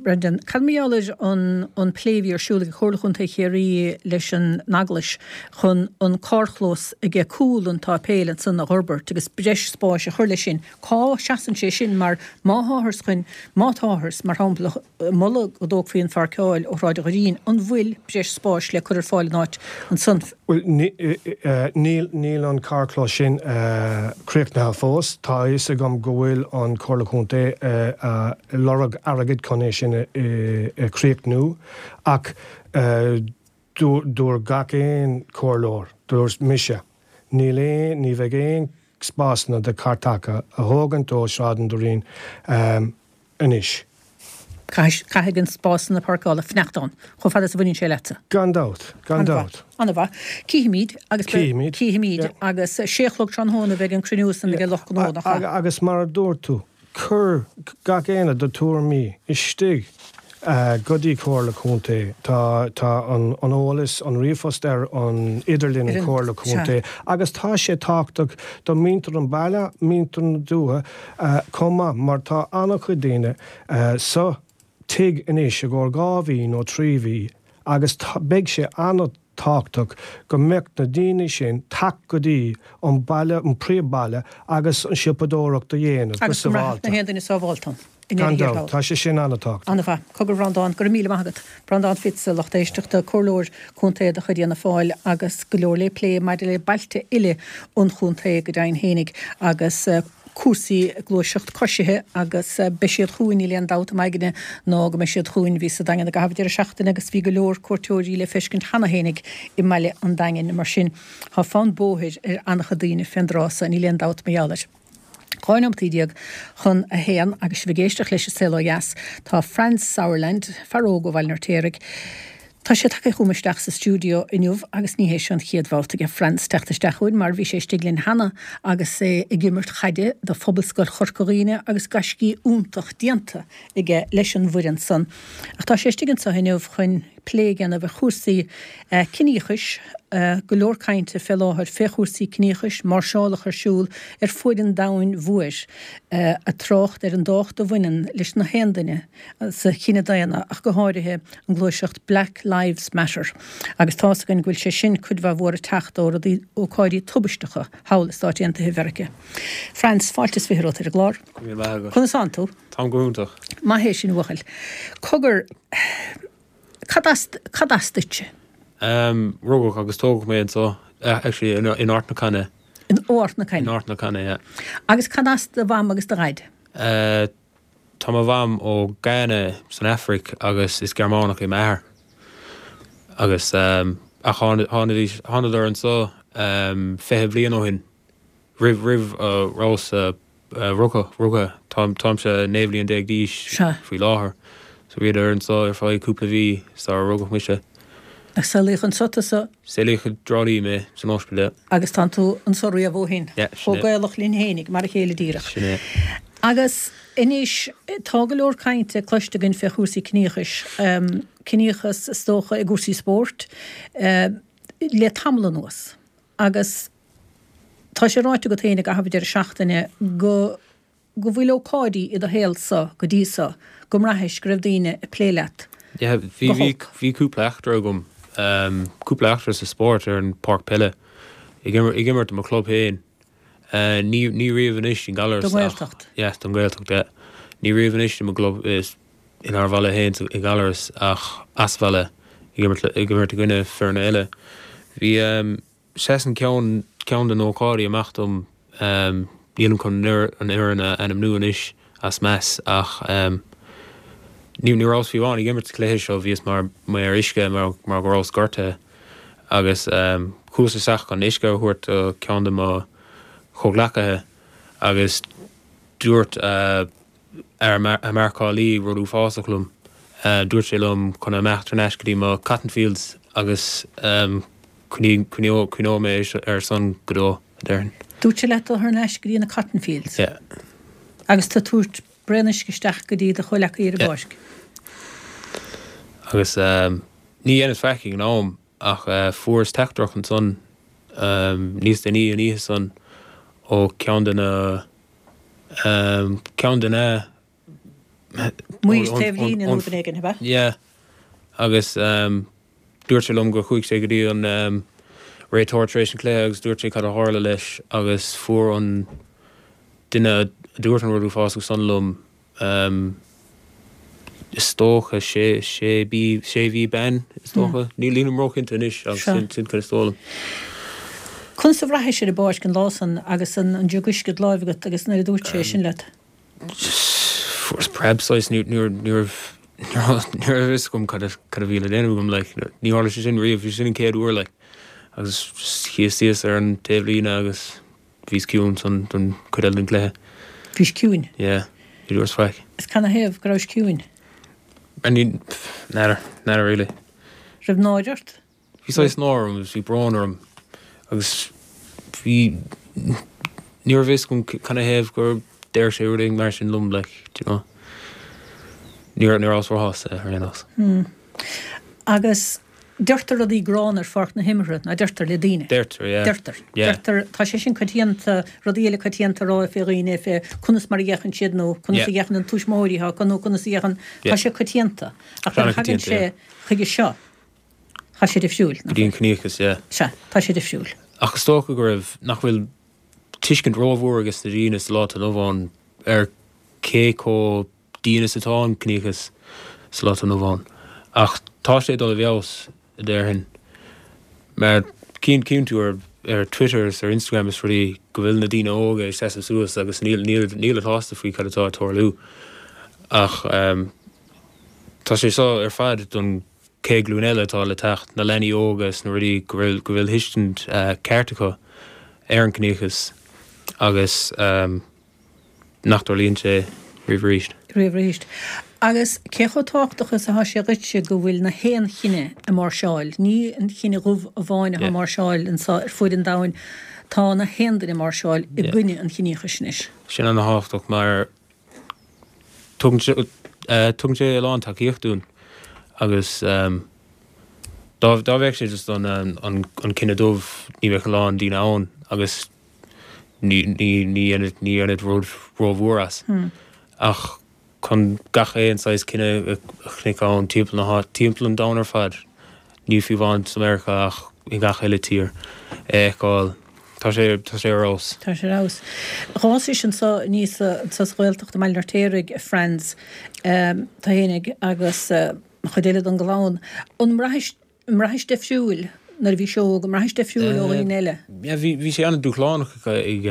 S1: Brendan. Cad mar gheall ar an plé a bhí ar siúl ag Comhairle Chontae Chiarraí leis an Eaglais chun an carrchlós aige cúl an tsáipéil ansan a dh'fhorbairt agus breis spáis a chur leis sin? Cá seasann sé sin mar má tháthars chun, má táthars, mar shampla, ag moladh go dtógfaí an pháirceáil ó Shráid an Dhoirín, an bhfuil breis spáis le cur ar fáil in áit ansan?
S4: Bhuel, níl, níl an carrchlós sin críochnaithe fós. Tá a fhios agam go bhfuil an Chomhairle Contae ag lorg airgid chun é sin a chríochnú ach dúirt gach aon chomhairleoir, dúirt mise, níl aon, ní bheidh aon spásanna do charr taca a thógaint ó Shráid an Doirín anois.
S1: Caithfidh an spásanna páirceála fanacht ann chomh fada is a bhaineann sé leatsa.
S4: Gan dabht, gan dabht.
S1: An-mhaith. Cífimid agus
S4: Cífimid.
S1: Cífimid agus sé a chlog tráthnóna a bheidh an cruinniú san ag lucht gnó, nach
S4: ea? Agus mar a dúirt tú, Cuir gach éinne do tuairimí istigh go dtí Comhairle Contae. Tá tá an an eolas, an ríomhphost ar an idirlíon an Comhairle Contae agus tá sé tábhachtach do muintir an baile, muintir na dúiche chomh maith mar tá an-chuid daoine sa tigh anois i gcomhair 2 mhí nó 3 mhí agus beidh sé an tábhachtach go mbeadh na daoine sin teacht go dtí an baile, an príomhbhaile agus an siopadóireacht a dhéanamh go
S1: Agus go mbraithfeadh
S4: sábháilte.
S1: na haon duine sábháilte ann i
S4: Gan
S1: ndeireadh thiar
S4: dabht,
S1: thall.
S4: tá sé sin an-tábhachtach.
S1: An-mhaith. Cogar a Bhreandáin, go raibh míle maith agat. Breandán Fitz, a lucht éisteachta, Comhairleoir Contae de chuid Fhianna Fáil agus go leor le plé maidir le bailte uile an chontae go deimhin fhéinig agus cúrsaí gluaiseacht coisithe agus beidh siad chugainn, níl aon dabht im aigne ná go mbeidh siad chugainn. Bhíos sa Daingean i gcaitheamh an deireadh seachtaine agus bhí go leor cuairteoirí le feiscint cheana fhéinig i mbaile an Daingin. Mar sin, tá fonn bóthair ar an-chuid daoine fén dtráth so, níl aon dabht mar gheall air. 12 nóimeataí chun a haon agus sibh ag éisteacht leis an Saol Ó Dheas, tá Franz Sauerland, fear óg ó Bhaile an Fheirtéaraigh, Tá sé tagtha chugam isteach sa stiúideo inniu agus ní hé seo an chéad bhabhta aige Franz teacht isteach chugainn mar bhí sé istigh linn cheana agus é ag imirt chaide do Phobalscoil Chorca Dhuibhne agus gaiscí iontach déanta aige leis an bhfoireann san. Ach tá sé istigh anseo inniu chun plé a dhéanamh ar chúrsaí ciníochais, go leor cainte fé láthair fé chúrsaí ciníochais, máirseálacha ar siúl ar fuaid an domhain mhóir ag trácht ar an dtábhacht a bhaineann leis na haon duine sa chine daonna, ach go háirithe an ghluaiseacht Black Lives Matter, agus tá's againn go bhfuil sé sin cuid mhaith mhór ag teacht ó rudaí, ócáidí tubaisteacha thall i Stáit Aontaithe Mheirice. Franz, fáilte is 20 romhat ar an gclár.
S5: Go raibh míle maith agat.
S1: Conas tánn tú?
S5: Táim go hiontach.
S1: Maith é sin, a bhuachaill. Cogar, cad as, cad as duitse?
S5: Em, rugadh agus tógadh mé anseo, actually in, in Ard na Caithne.
S1: In Ard na Caithne?
S5: In Ard na Caithne, yeah.
S1: Agus cad as do mham agus do dhaid?
S5: Eh, Tá mo mham ó Ghana san Afraic agus is Gearmánach é m'athair. Agus ach tháinidís, thánadar anso 20 bliain ó shin, roimh, roimh a rabhas rugtha, rugtha. Táim, táimse 19 bhliain d'aois faoi láthair. So bhíodar anso ar feadh cúpla mhí sara rugadh mise.
S1: Agus saolaíodh anso tusa?
S5: Saolaíodh i dTrá Lí mé, san ospidéal.
S1: Agus tánn tú anso riamh ó shin?
S5: Yeah, sin
S1: Chomh
S5: é.
S1: Gaelach linn fhéinig, mar a chéile díreach.
S5: Sin é.
S1: Agus anois, tá go leor cainte cloiste againn fé chúrsaí ciníochais, ciníochas is dócha i gcúrsaí spóirt, le tamall anuas. Agus tá sé ráite agat féin i gcaitheamh an deireadh seachtaine go, go bhfuil ócáidí i do shaol-sa go dtí so go mbraithis go raibh daoine ag plé leat
S5: Yeah, bhí,
S1: go
S5: bhí,
S1: holc.
S5: bhí cúpla eachtra agam, cúpla eachtra sa spórt ar an páirc peile. Ag imirt do mo chlub féin. Ní ní riamh anois i nGallaras
S1: Don nGaeltacht.
S5: Yeah, don Ghaeltacht, yeah. Ní riamh anois i mo gclub inár bhaile féin i nGallaras ach as bhaile ag imirt ag imirt i gcoinne foirne eile. Bhí seasann ceann ceann de na hócáidí amach dom nílim chun an fhoireann a ainmniú anois as meas ach ní ní rabhas fiú amháin ag imirt sa chluiche seo bhíos mar maor uisce mar mar go rabhas gortaithe agus chuas isteach chun uisce a thabhairt do ceann de mo chomhghleacaithe agus dúirt fhear marcálaí rud uafásach liom. Dúirt sé liom chun imeacht thar n-ais go dtí mo cotton fields agus cuimhneoidh mé air san go deo, a déarfainn.
S1: Dúirt sé leat dul thar n-ais go dtí na cotton fields?
S5: Yeah.
S1: Agus tú ag tabhairt braon uisce isteach go dtí do chomhleacaí ar an
S5: Yeah.
S1: bpáirc?
S5: Agus ní dheineas faic ag an am ach fuaireas teachtaireacht ansan níos déanaí an oíche san ó ceann de na ceann de na
S1: Maoir taobh líne nó duine éigin, ab ea?
S5: Yeah. Agus dúirt sé liom gur chuaigh sé go dtí an réiteoir tar éis an chluiche agus dúirt sé cad a tharla leis agus fuair an duine a dúirt an rud uafásach san liom Is dócha, sé, sé bí, sé mhí ban, is dócha. Nílim róchinnte anois ach sin, sin cad is dóigh liom.
S1: Conas a bhraithis ar an bpáirc an lá san agus an an jug uisce id láimh agat agus nuair a dúirt sé sin leat?
S5: Fuaireas preab saghas, ní, ní raibh, ní raibh, ní raibh a fhios agam cad a, cad a bhí le déanamh agam like. Ní tharla sé sin riamh, bhí sin an chéad uair like. Agus just shuíos síos ar an taobhlíne agus. Bhíos ciúin san don chuid eile den chluiche.
S1: Bhís ciúin?
S5: Yeah. Ní dúras faic.
S1: Is canathaobh go rabhais ciúin?
S5: I ní, n'fheadar, n'fheadar really.
S1: Raibh náire ort?
S5: Bhí saghas náire orm agus bhí brón orm agus bhí, ní raibh a fhios agam canathaobh gur deir sé rud éigin mar sin liom like, do you know. Ní raibh, ní rabhas róshásta ar aon nós.
S1: Hmm. Agus deirtear rudaí gránna ar pháirc na himeartha, ná deirtear le daoine?
S5: Deirtear, yeah.
S1: Deirtear.
S5: Yeah.
S1: Deirtear, tá sé sin coitianta, rudaí eile coitianta a rá fé dhaoine, fé conas mar a fhéachann siad nó conas a
S5: Yeah.
S1: fhéachann an tuismitheoirí atá acu nó conas a fhéachann,
S5: Yeah.
S1: tá sé coitianta. Ach nuair a thagann
S5: An-choitianta, yeah.
S1: sé chuige seo, tá sé difriúil,
S5: Go
S1: nach
S5: dtí an
S1: bhfuil?
S5: ciníochas, yeah.
S1: Sea, tá sé difriúil.
S5: Ach is dócha go raibh, nach bhfuil tuiscint rómhór ages na daoine sa lá atá inniu ann ar cé chomh dian is atá an ciníochas sa lá atá inniu ann. Ach tá sé ag dul i bhfeabhas, a déarfainn. Mar cíonn cíonn tú ar ar Twitter is ar Instagram is rudaí go bhfuil na daoine óga ag seasamh suas agus níl níl nílid sásta faoi cad atá ag tarlú. Ach tá sé seo ar fad don chéad ghlúin eile atá le teacht, na leanaí óga is na rudaí go bhfuil go bhfuil tuiscint ceart acu ar an ciníochas agus. nach dtarlaíonn sé riamh arís.
S1: riamh arís. Agus cé chomh tábhachtach is atá sé dhuitse go bhfuil na haon chine ag máirseáil, ní an chine dhubh amháin atá ag máirseáil anseo ar fuaid an domhain, tá na haon duine ag máirseáil i gcoinne an chiníochais anois.
S5: Sin ana-thábhachtach mar tugann sé tugann sé a lán tacaíocht dúinn agus dá dá bheadh sé just don an an cine dubh ní bheadh a lán daoine ann agus ní dhéanfaid rud rómhór as. Ach chun gach aon saghas cine a chonaic ann timpeall na háite, timpeall an domhain ar fad, ní fiú amháin sa Meiriceá ach i ngach uile tír, a fheiceáil, tá sé, tá sé ar fheabhas.
S1: Tá sé ar fheabhas. D'fhásais anso aníos anso sa Ghaeltacht i mBaile an Fheirtéaraigh, a Franz, tú fhéinig agus chuid eile den gclann. An mbraithis An mbraithis difriúil nuair a bhís óg, an mbraithis difriúil ó dhaoine eile?
S5: Yeah, bhí, bhí sé an-dúshlánach ag,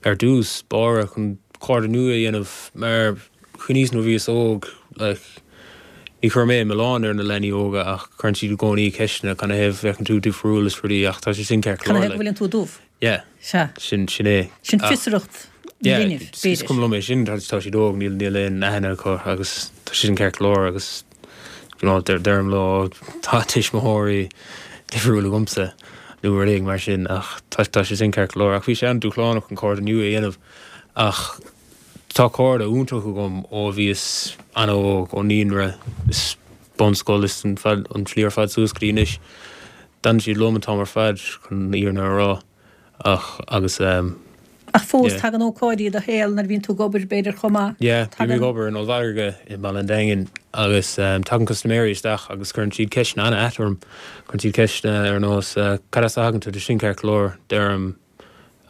S5: ar dtús báire chun cairde nua a dhéanamh mar chuimhníos nuair a bhíos óg, like, ní chuir mé milleán ar na leanaí óga ach cuireann siad i gcónaí ceisteanna canathaobh bhféachann tú difriúil is rudaí ach tá sé sin ceart go
S1: Canathaobh
S5: leor,
S1: go
S5: like.
S1: bhfuileann tú dubh?
S5: Yeah.
S1: Sea.
S5: Sin, sin é.
S1: Sin
S5: Ach,
S1: fiosracht
S5: yeah,
S1: linbh,
S5: is
S1: b'fhéidir.
S5: cuma liom é sin, tá tá siad óg, níl, níl aon aithne acu agus tá sé sin ceart go leor agus, you know, deir, deirim leo, tá tuismitheoirí difriúil agamsa nó rud éigin mar sin ach tá, tá sé sin ceart go leor. Ach bhí sé an-dúshlánach an cairde nua a dhéanamh ach tá cairde iontach agam ó bhíos an-óg, ó naíonra is bunscoil is an fad, an tslí ar fad suas go dtí anois. D'fhan siad liom an t-am ar fad chun an fhírinne a rá ach agus.
S1: Ach fós, tagann ócáidí i do shaol nuair a bhíonn tú ag obair, b'fhéidir, chomh maith.
S5: Yeah, bím ag obair in ollmhargadh i mBaile an Daingin agus tagann custaiméirí isteach agus cuireann siad ceisteanna an-ait orm. Cuireann siad ceisteanna ar nós 'Cad as a thagann tú?' Sin ceart go leor. Deirim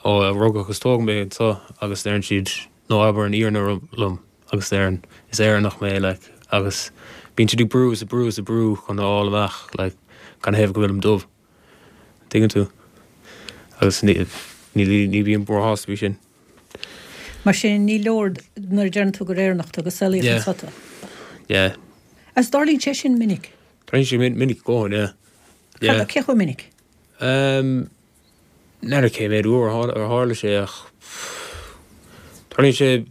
S5: 'Ó, rugadh agus tógadh mé anseo' agus deireann siad 'No, abair an fhírinne liom' agus deirim 'Is Éireannach mé, like' agus bíonn siad ag brú is ag brú is ag brú chun a fháil amach like canathaobh go bhfuilim dubh. Tuigeann tú? Agus ní, ní bím róshásta faoi sin.
S1: Mar sin, ní leor nuair a deireann tú gur Éireannach tú, gur saolaíodh
S5: Yeah.
S1: anseo tú.
S5: Yeah.
S1: Agus tarlaíonn sé sin minic?
S5: Tarlaíonn sé minic go leor, yeah.
S1: Yeah. Cé chomh minic?
S5: Um, N'fheadar cé mhéad uair a tharla sé ach tarlaíonn sé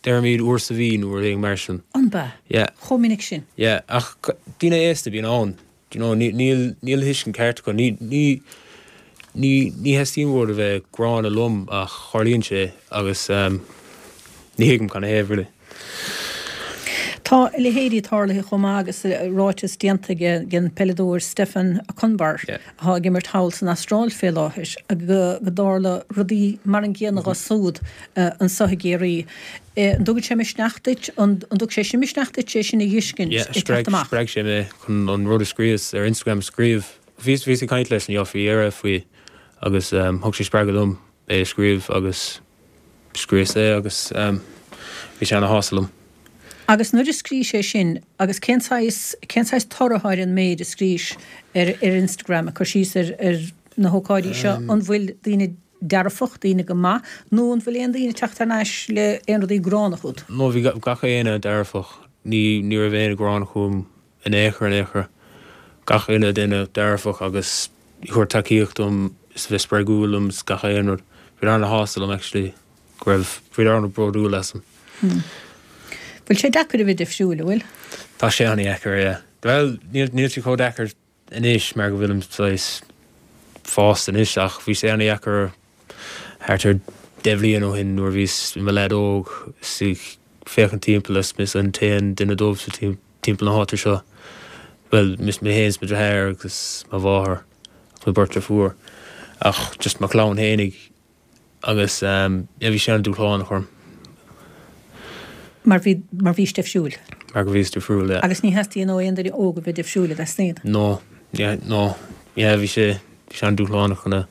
S5: deirimid uair sa mhí nó rud éigin mar sin.
S1: An b'ea?
S5: Yeah.
S1: Chomh minic sin?
S5: Yeah, ach daoine aosta a bhíonn ann, do you know, níl níl tuiscint ceart acu. Ní ní ní ní theastaíonn uathu a bheith gránna liom ach tarlaíonn sé agus ní thuigim canathaobh really.
S1: Tá a leithéidí tarlaithe chomh maith agus ráiteas déanta ag an peileadóir Stefan Okunbor, atá ag imirt thall san Astráil fé láthair, go dtarla rudaí mar an gcéanna dho súd anso i gCiarraí. An dtugann sé misneach duit, an dtug sé sin misneach duit é sin a dh'fheiscint
S5: ag teacht amach? Spreag sé mé chun an rud a scríos ar Instagram a scríobh. Bhíos ag caint leis an faoi dheireadh faoi agus thug sé spreagadh dom é a scríobh agus Scríos é agus bhí sé ana-shásta liom.
S1: Agus nuair a scrís é sin, agus cén saghas, cén saghas toradh atá ar an méid a scrís ar, ar Instagram, ag cur síos ar, ar na hócáidí seo, an bhfuil daoine dearfach, daoine go maith, nó an bhfuil aon daoine ag teacht thar n-ais le aon rudaí gránna chugat?
S5: No, bhí gach éinne dearfach. Ní, ní raibh éinne gránna chugam in aon chor, in aon chor. Gach uile duine dearfach agus ag tabhairt tacaíocht dom is a bheith spreagúil liom is gach aon rud. Bhíodar ana-shásta liom actually go raibh, bhíodar ana-bhródúil asam.
S1: Bhfuil sé deacair a bheith difriúil, an bhfuil?
S5: Tá sé ana-dheacair, yeah. Bhuel, níl, níl sé chomh deacair anois mar go bhfuilim saghas fásta anois ach bhí sé ana-dheacair thart ar 10 bhliain ó shin nuair a bhíos i mo leaid óg is ag féachaint timpeall is mise an t-aon duine dubh sa timpeall na háite seo. Bhuel, mise mé féin is mo dheartháir agus mo mháthair agus mo bheirt deirfiúr ach just mo chlann fhéinig agus yeah bhí sé an-dúshlánach orm.
S1: Mar bhí, mar bhís difriúil.
S5: Mar go bhíos difriúil, yeah.
S1: Agus ní theastaíonn ó aon duine óg a bheith difriúil, an dteastaíonn?
S5: No, yeah, no, yeah bhí sé, bhí sé an-dúshlánach chun a,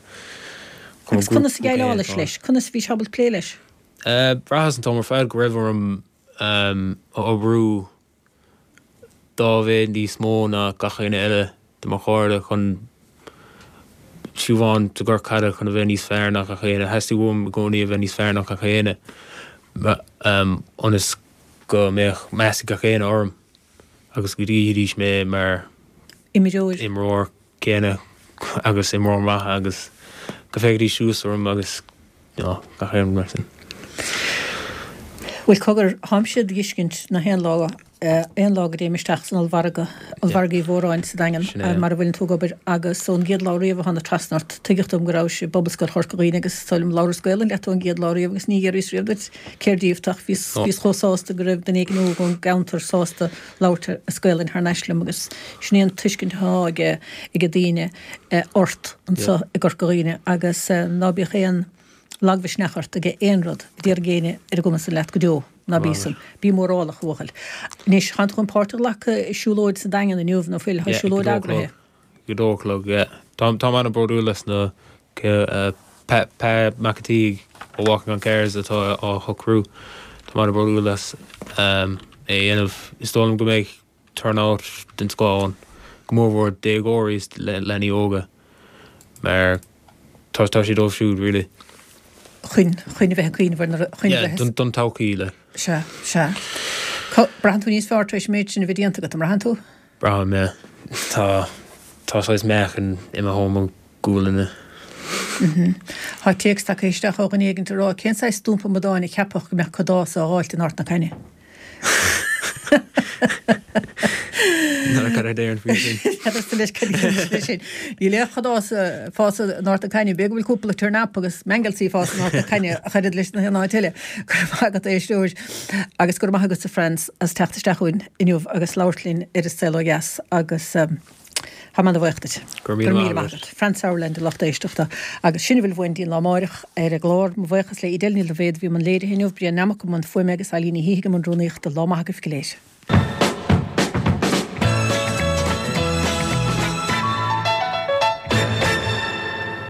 S1: chun Agus conas a dhéileálais leis? Conas a bhís ábalta plé leis?
S5: Eh, bhraitheas an t-am ar fad go raibh orm a oibriú dá mhéad níos mó ná gach éinne eile de mo chairde chun, fiú amháin sa gcorp caide, chun a bheith níos fearr ná gach éinne. Theastaigh uaim i gcónaí a bheith níos fearr ná gach éinne ionas go mbeadh meas ag gach éinne orm agus go gcífidís mé mar
S1: Imreoir.
S5: imreoir céanna agus imreoir maith agus go bhféachfaidís suas orm agus you know gach aon rud mar sin.
S1: Bhuel cogar, tháimse ag tuiscint na haon lá, aon lá go dtéim isteach san ollmhargadh, ollmhargadh Uí Mhóráin sa Daingean, mar a bhfuileann tú ag obair agus ón gcéad lá riamh a thána trasna ort, tuigeadh dom go rabhais i bPobalscoil Chorca Dhuibhne agus is dóigh liom labhras Gaelainn leat ón gcéad lá riamh agus ní fhiafraíos riamh duit cér díobh tú ach bhíos, bhíos chomh sásta go raibh duine éigin óg ón gceantar sásta labhairt as Gaelainn thar n-ais liom agus sin é an tuiscint atá ag ag daoine ort anseo i gCorca Dhuibhne agus ná bíodh aon lagmhisneach ort ag aon rud a déarfaidh éinne ar an gcuma san leat go deo, ná bí san. Bí mórálach, a bhuachaill. Anois, tánn tú chun páirt a ghlacadh i siúlóid sa Daingean inniu, ná fuil? Tá siúlóid eagraithe.
S5: Ag a dó a chlog, yeah. Táim an-bhródúil as na Pa Mac an tSíthigh ó Walking on Cars atá á shocrú. Táim an-bhródúil as é a dhéanamh. Is dóigh liom go mbeidh turnout den scoth ann, go mórmhór déagóirí is leanaí óga, mar tá tá sé dóibh siúd really.
S1: Chun, chun a bheith ag cuimhneamh ar na, chun a
S5: Yeah,
S1: bheith.
S5: don todhchaí like.
S1: Sea, sea. Braitheann tú níos fearr tar éis an méid sin a bheith déanta agat, an mbraitheann tú?
S5: Braithim, yeah. Tá, tá saghas meáchan imithe ó mo ghualainne.
S1: Tá téacs tagtha isteach ó dhuine éigint ag rá cén saghas stumpa amadáin a cheapfadh go mbeadh cadás á dháilt in Ard na Caithne.
S5: N'fheadar cad a déarfainn faoi sin.
S1: N'fheadarsa leis cad a déarfainn faoi sin. Níl aon chadás ag fás in Ard na Caithne, b'fhéidir go bhfuil cúpla turnap agus mangelsi ag fás in Ard na Caithne ach oiread leis na haon áit eile. Go raibh maith agat a éisteoir agus go raibh maith agatsa Franz as teacht isteach chugainn inniu agus labhairt linn ar An Saol Ó Dheas agus. Tá mé ana-bhuíoch duit.
S5: Go raibh míle maith agat.
S1: Fran Sauerland, a lucht éisteachta. Agus sin a bhfuil uainn go dtí an lá amáireach ar an gclár. Mo bhuíochas le Edel Ní Dhaibhéid a bhí i mbun léirithe inniu, Brian Nammock i mbun fuaime agus Eileen Ní Shíthigh i mbun rúnaíochta. Lá maith agaibh go léir.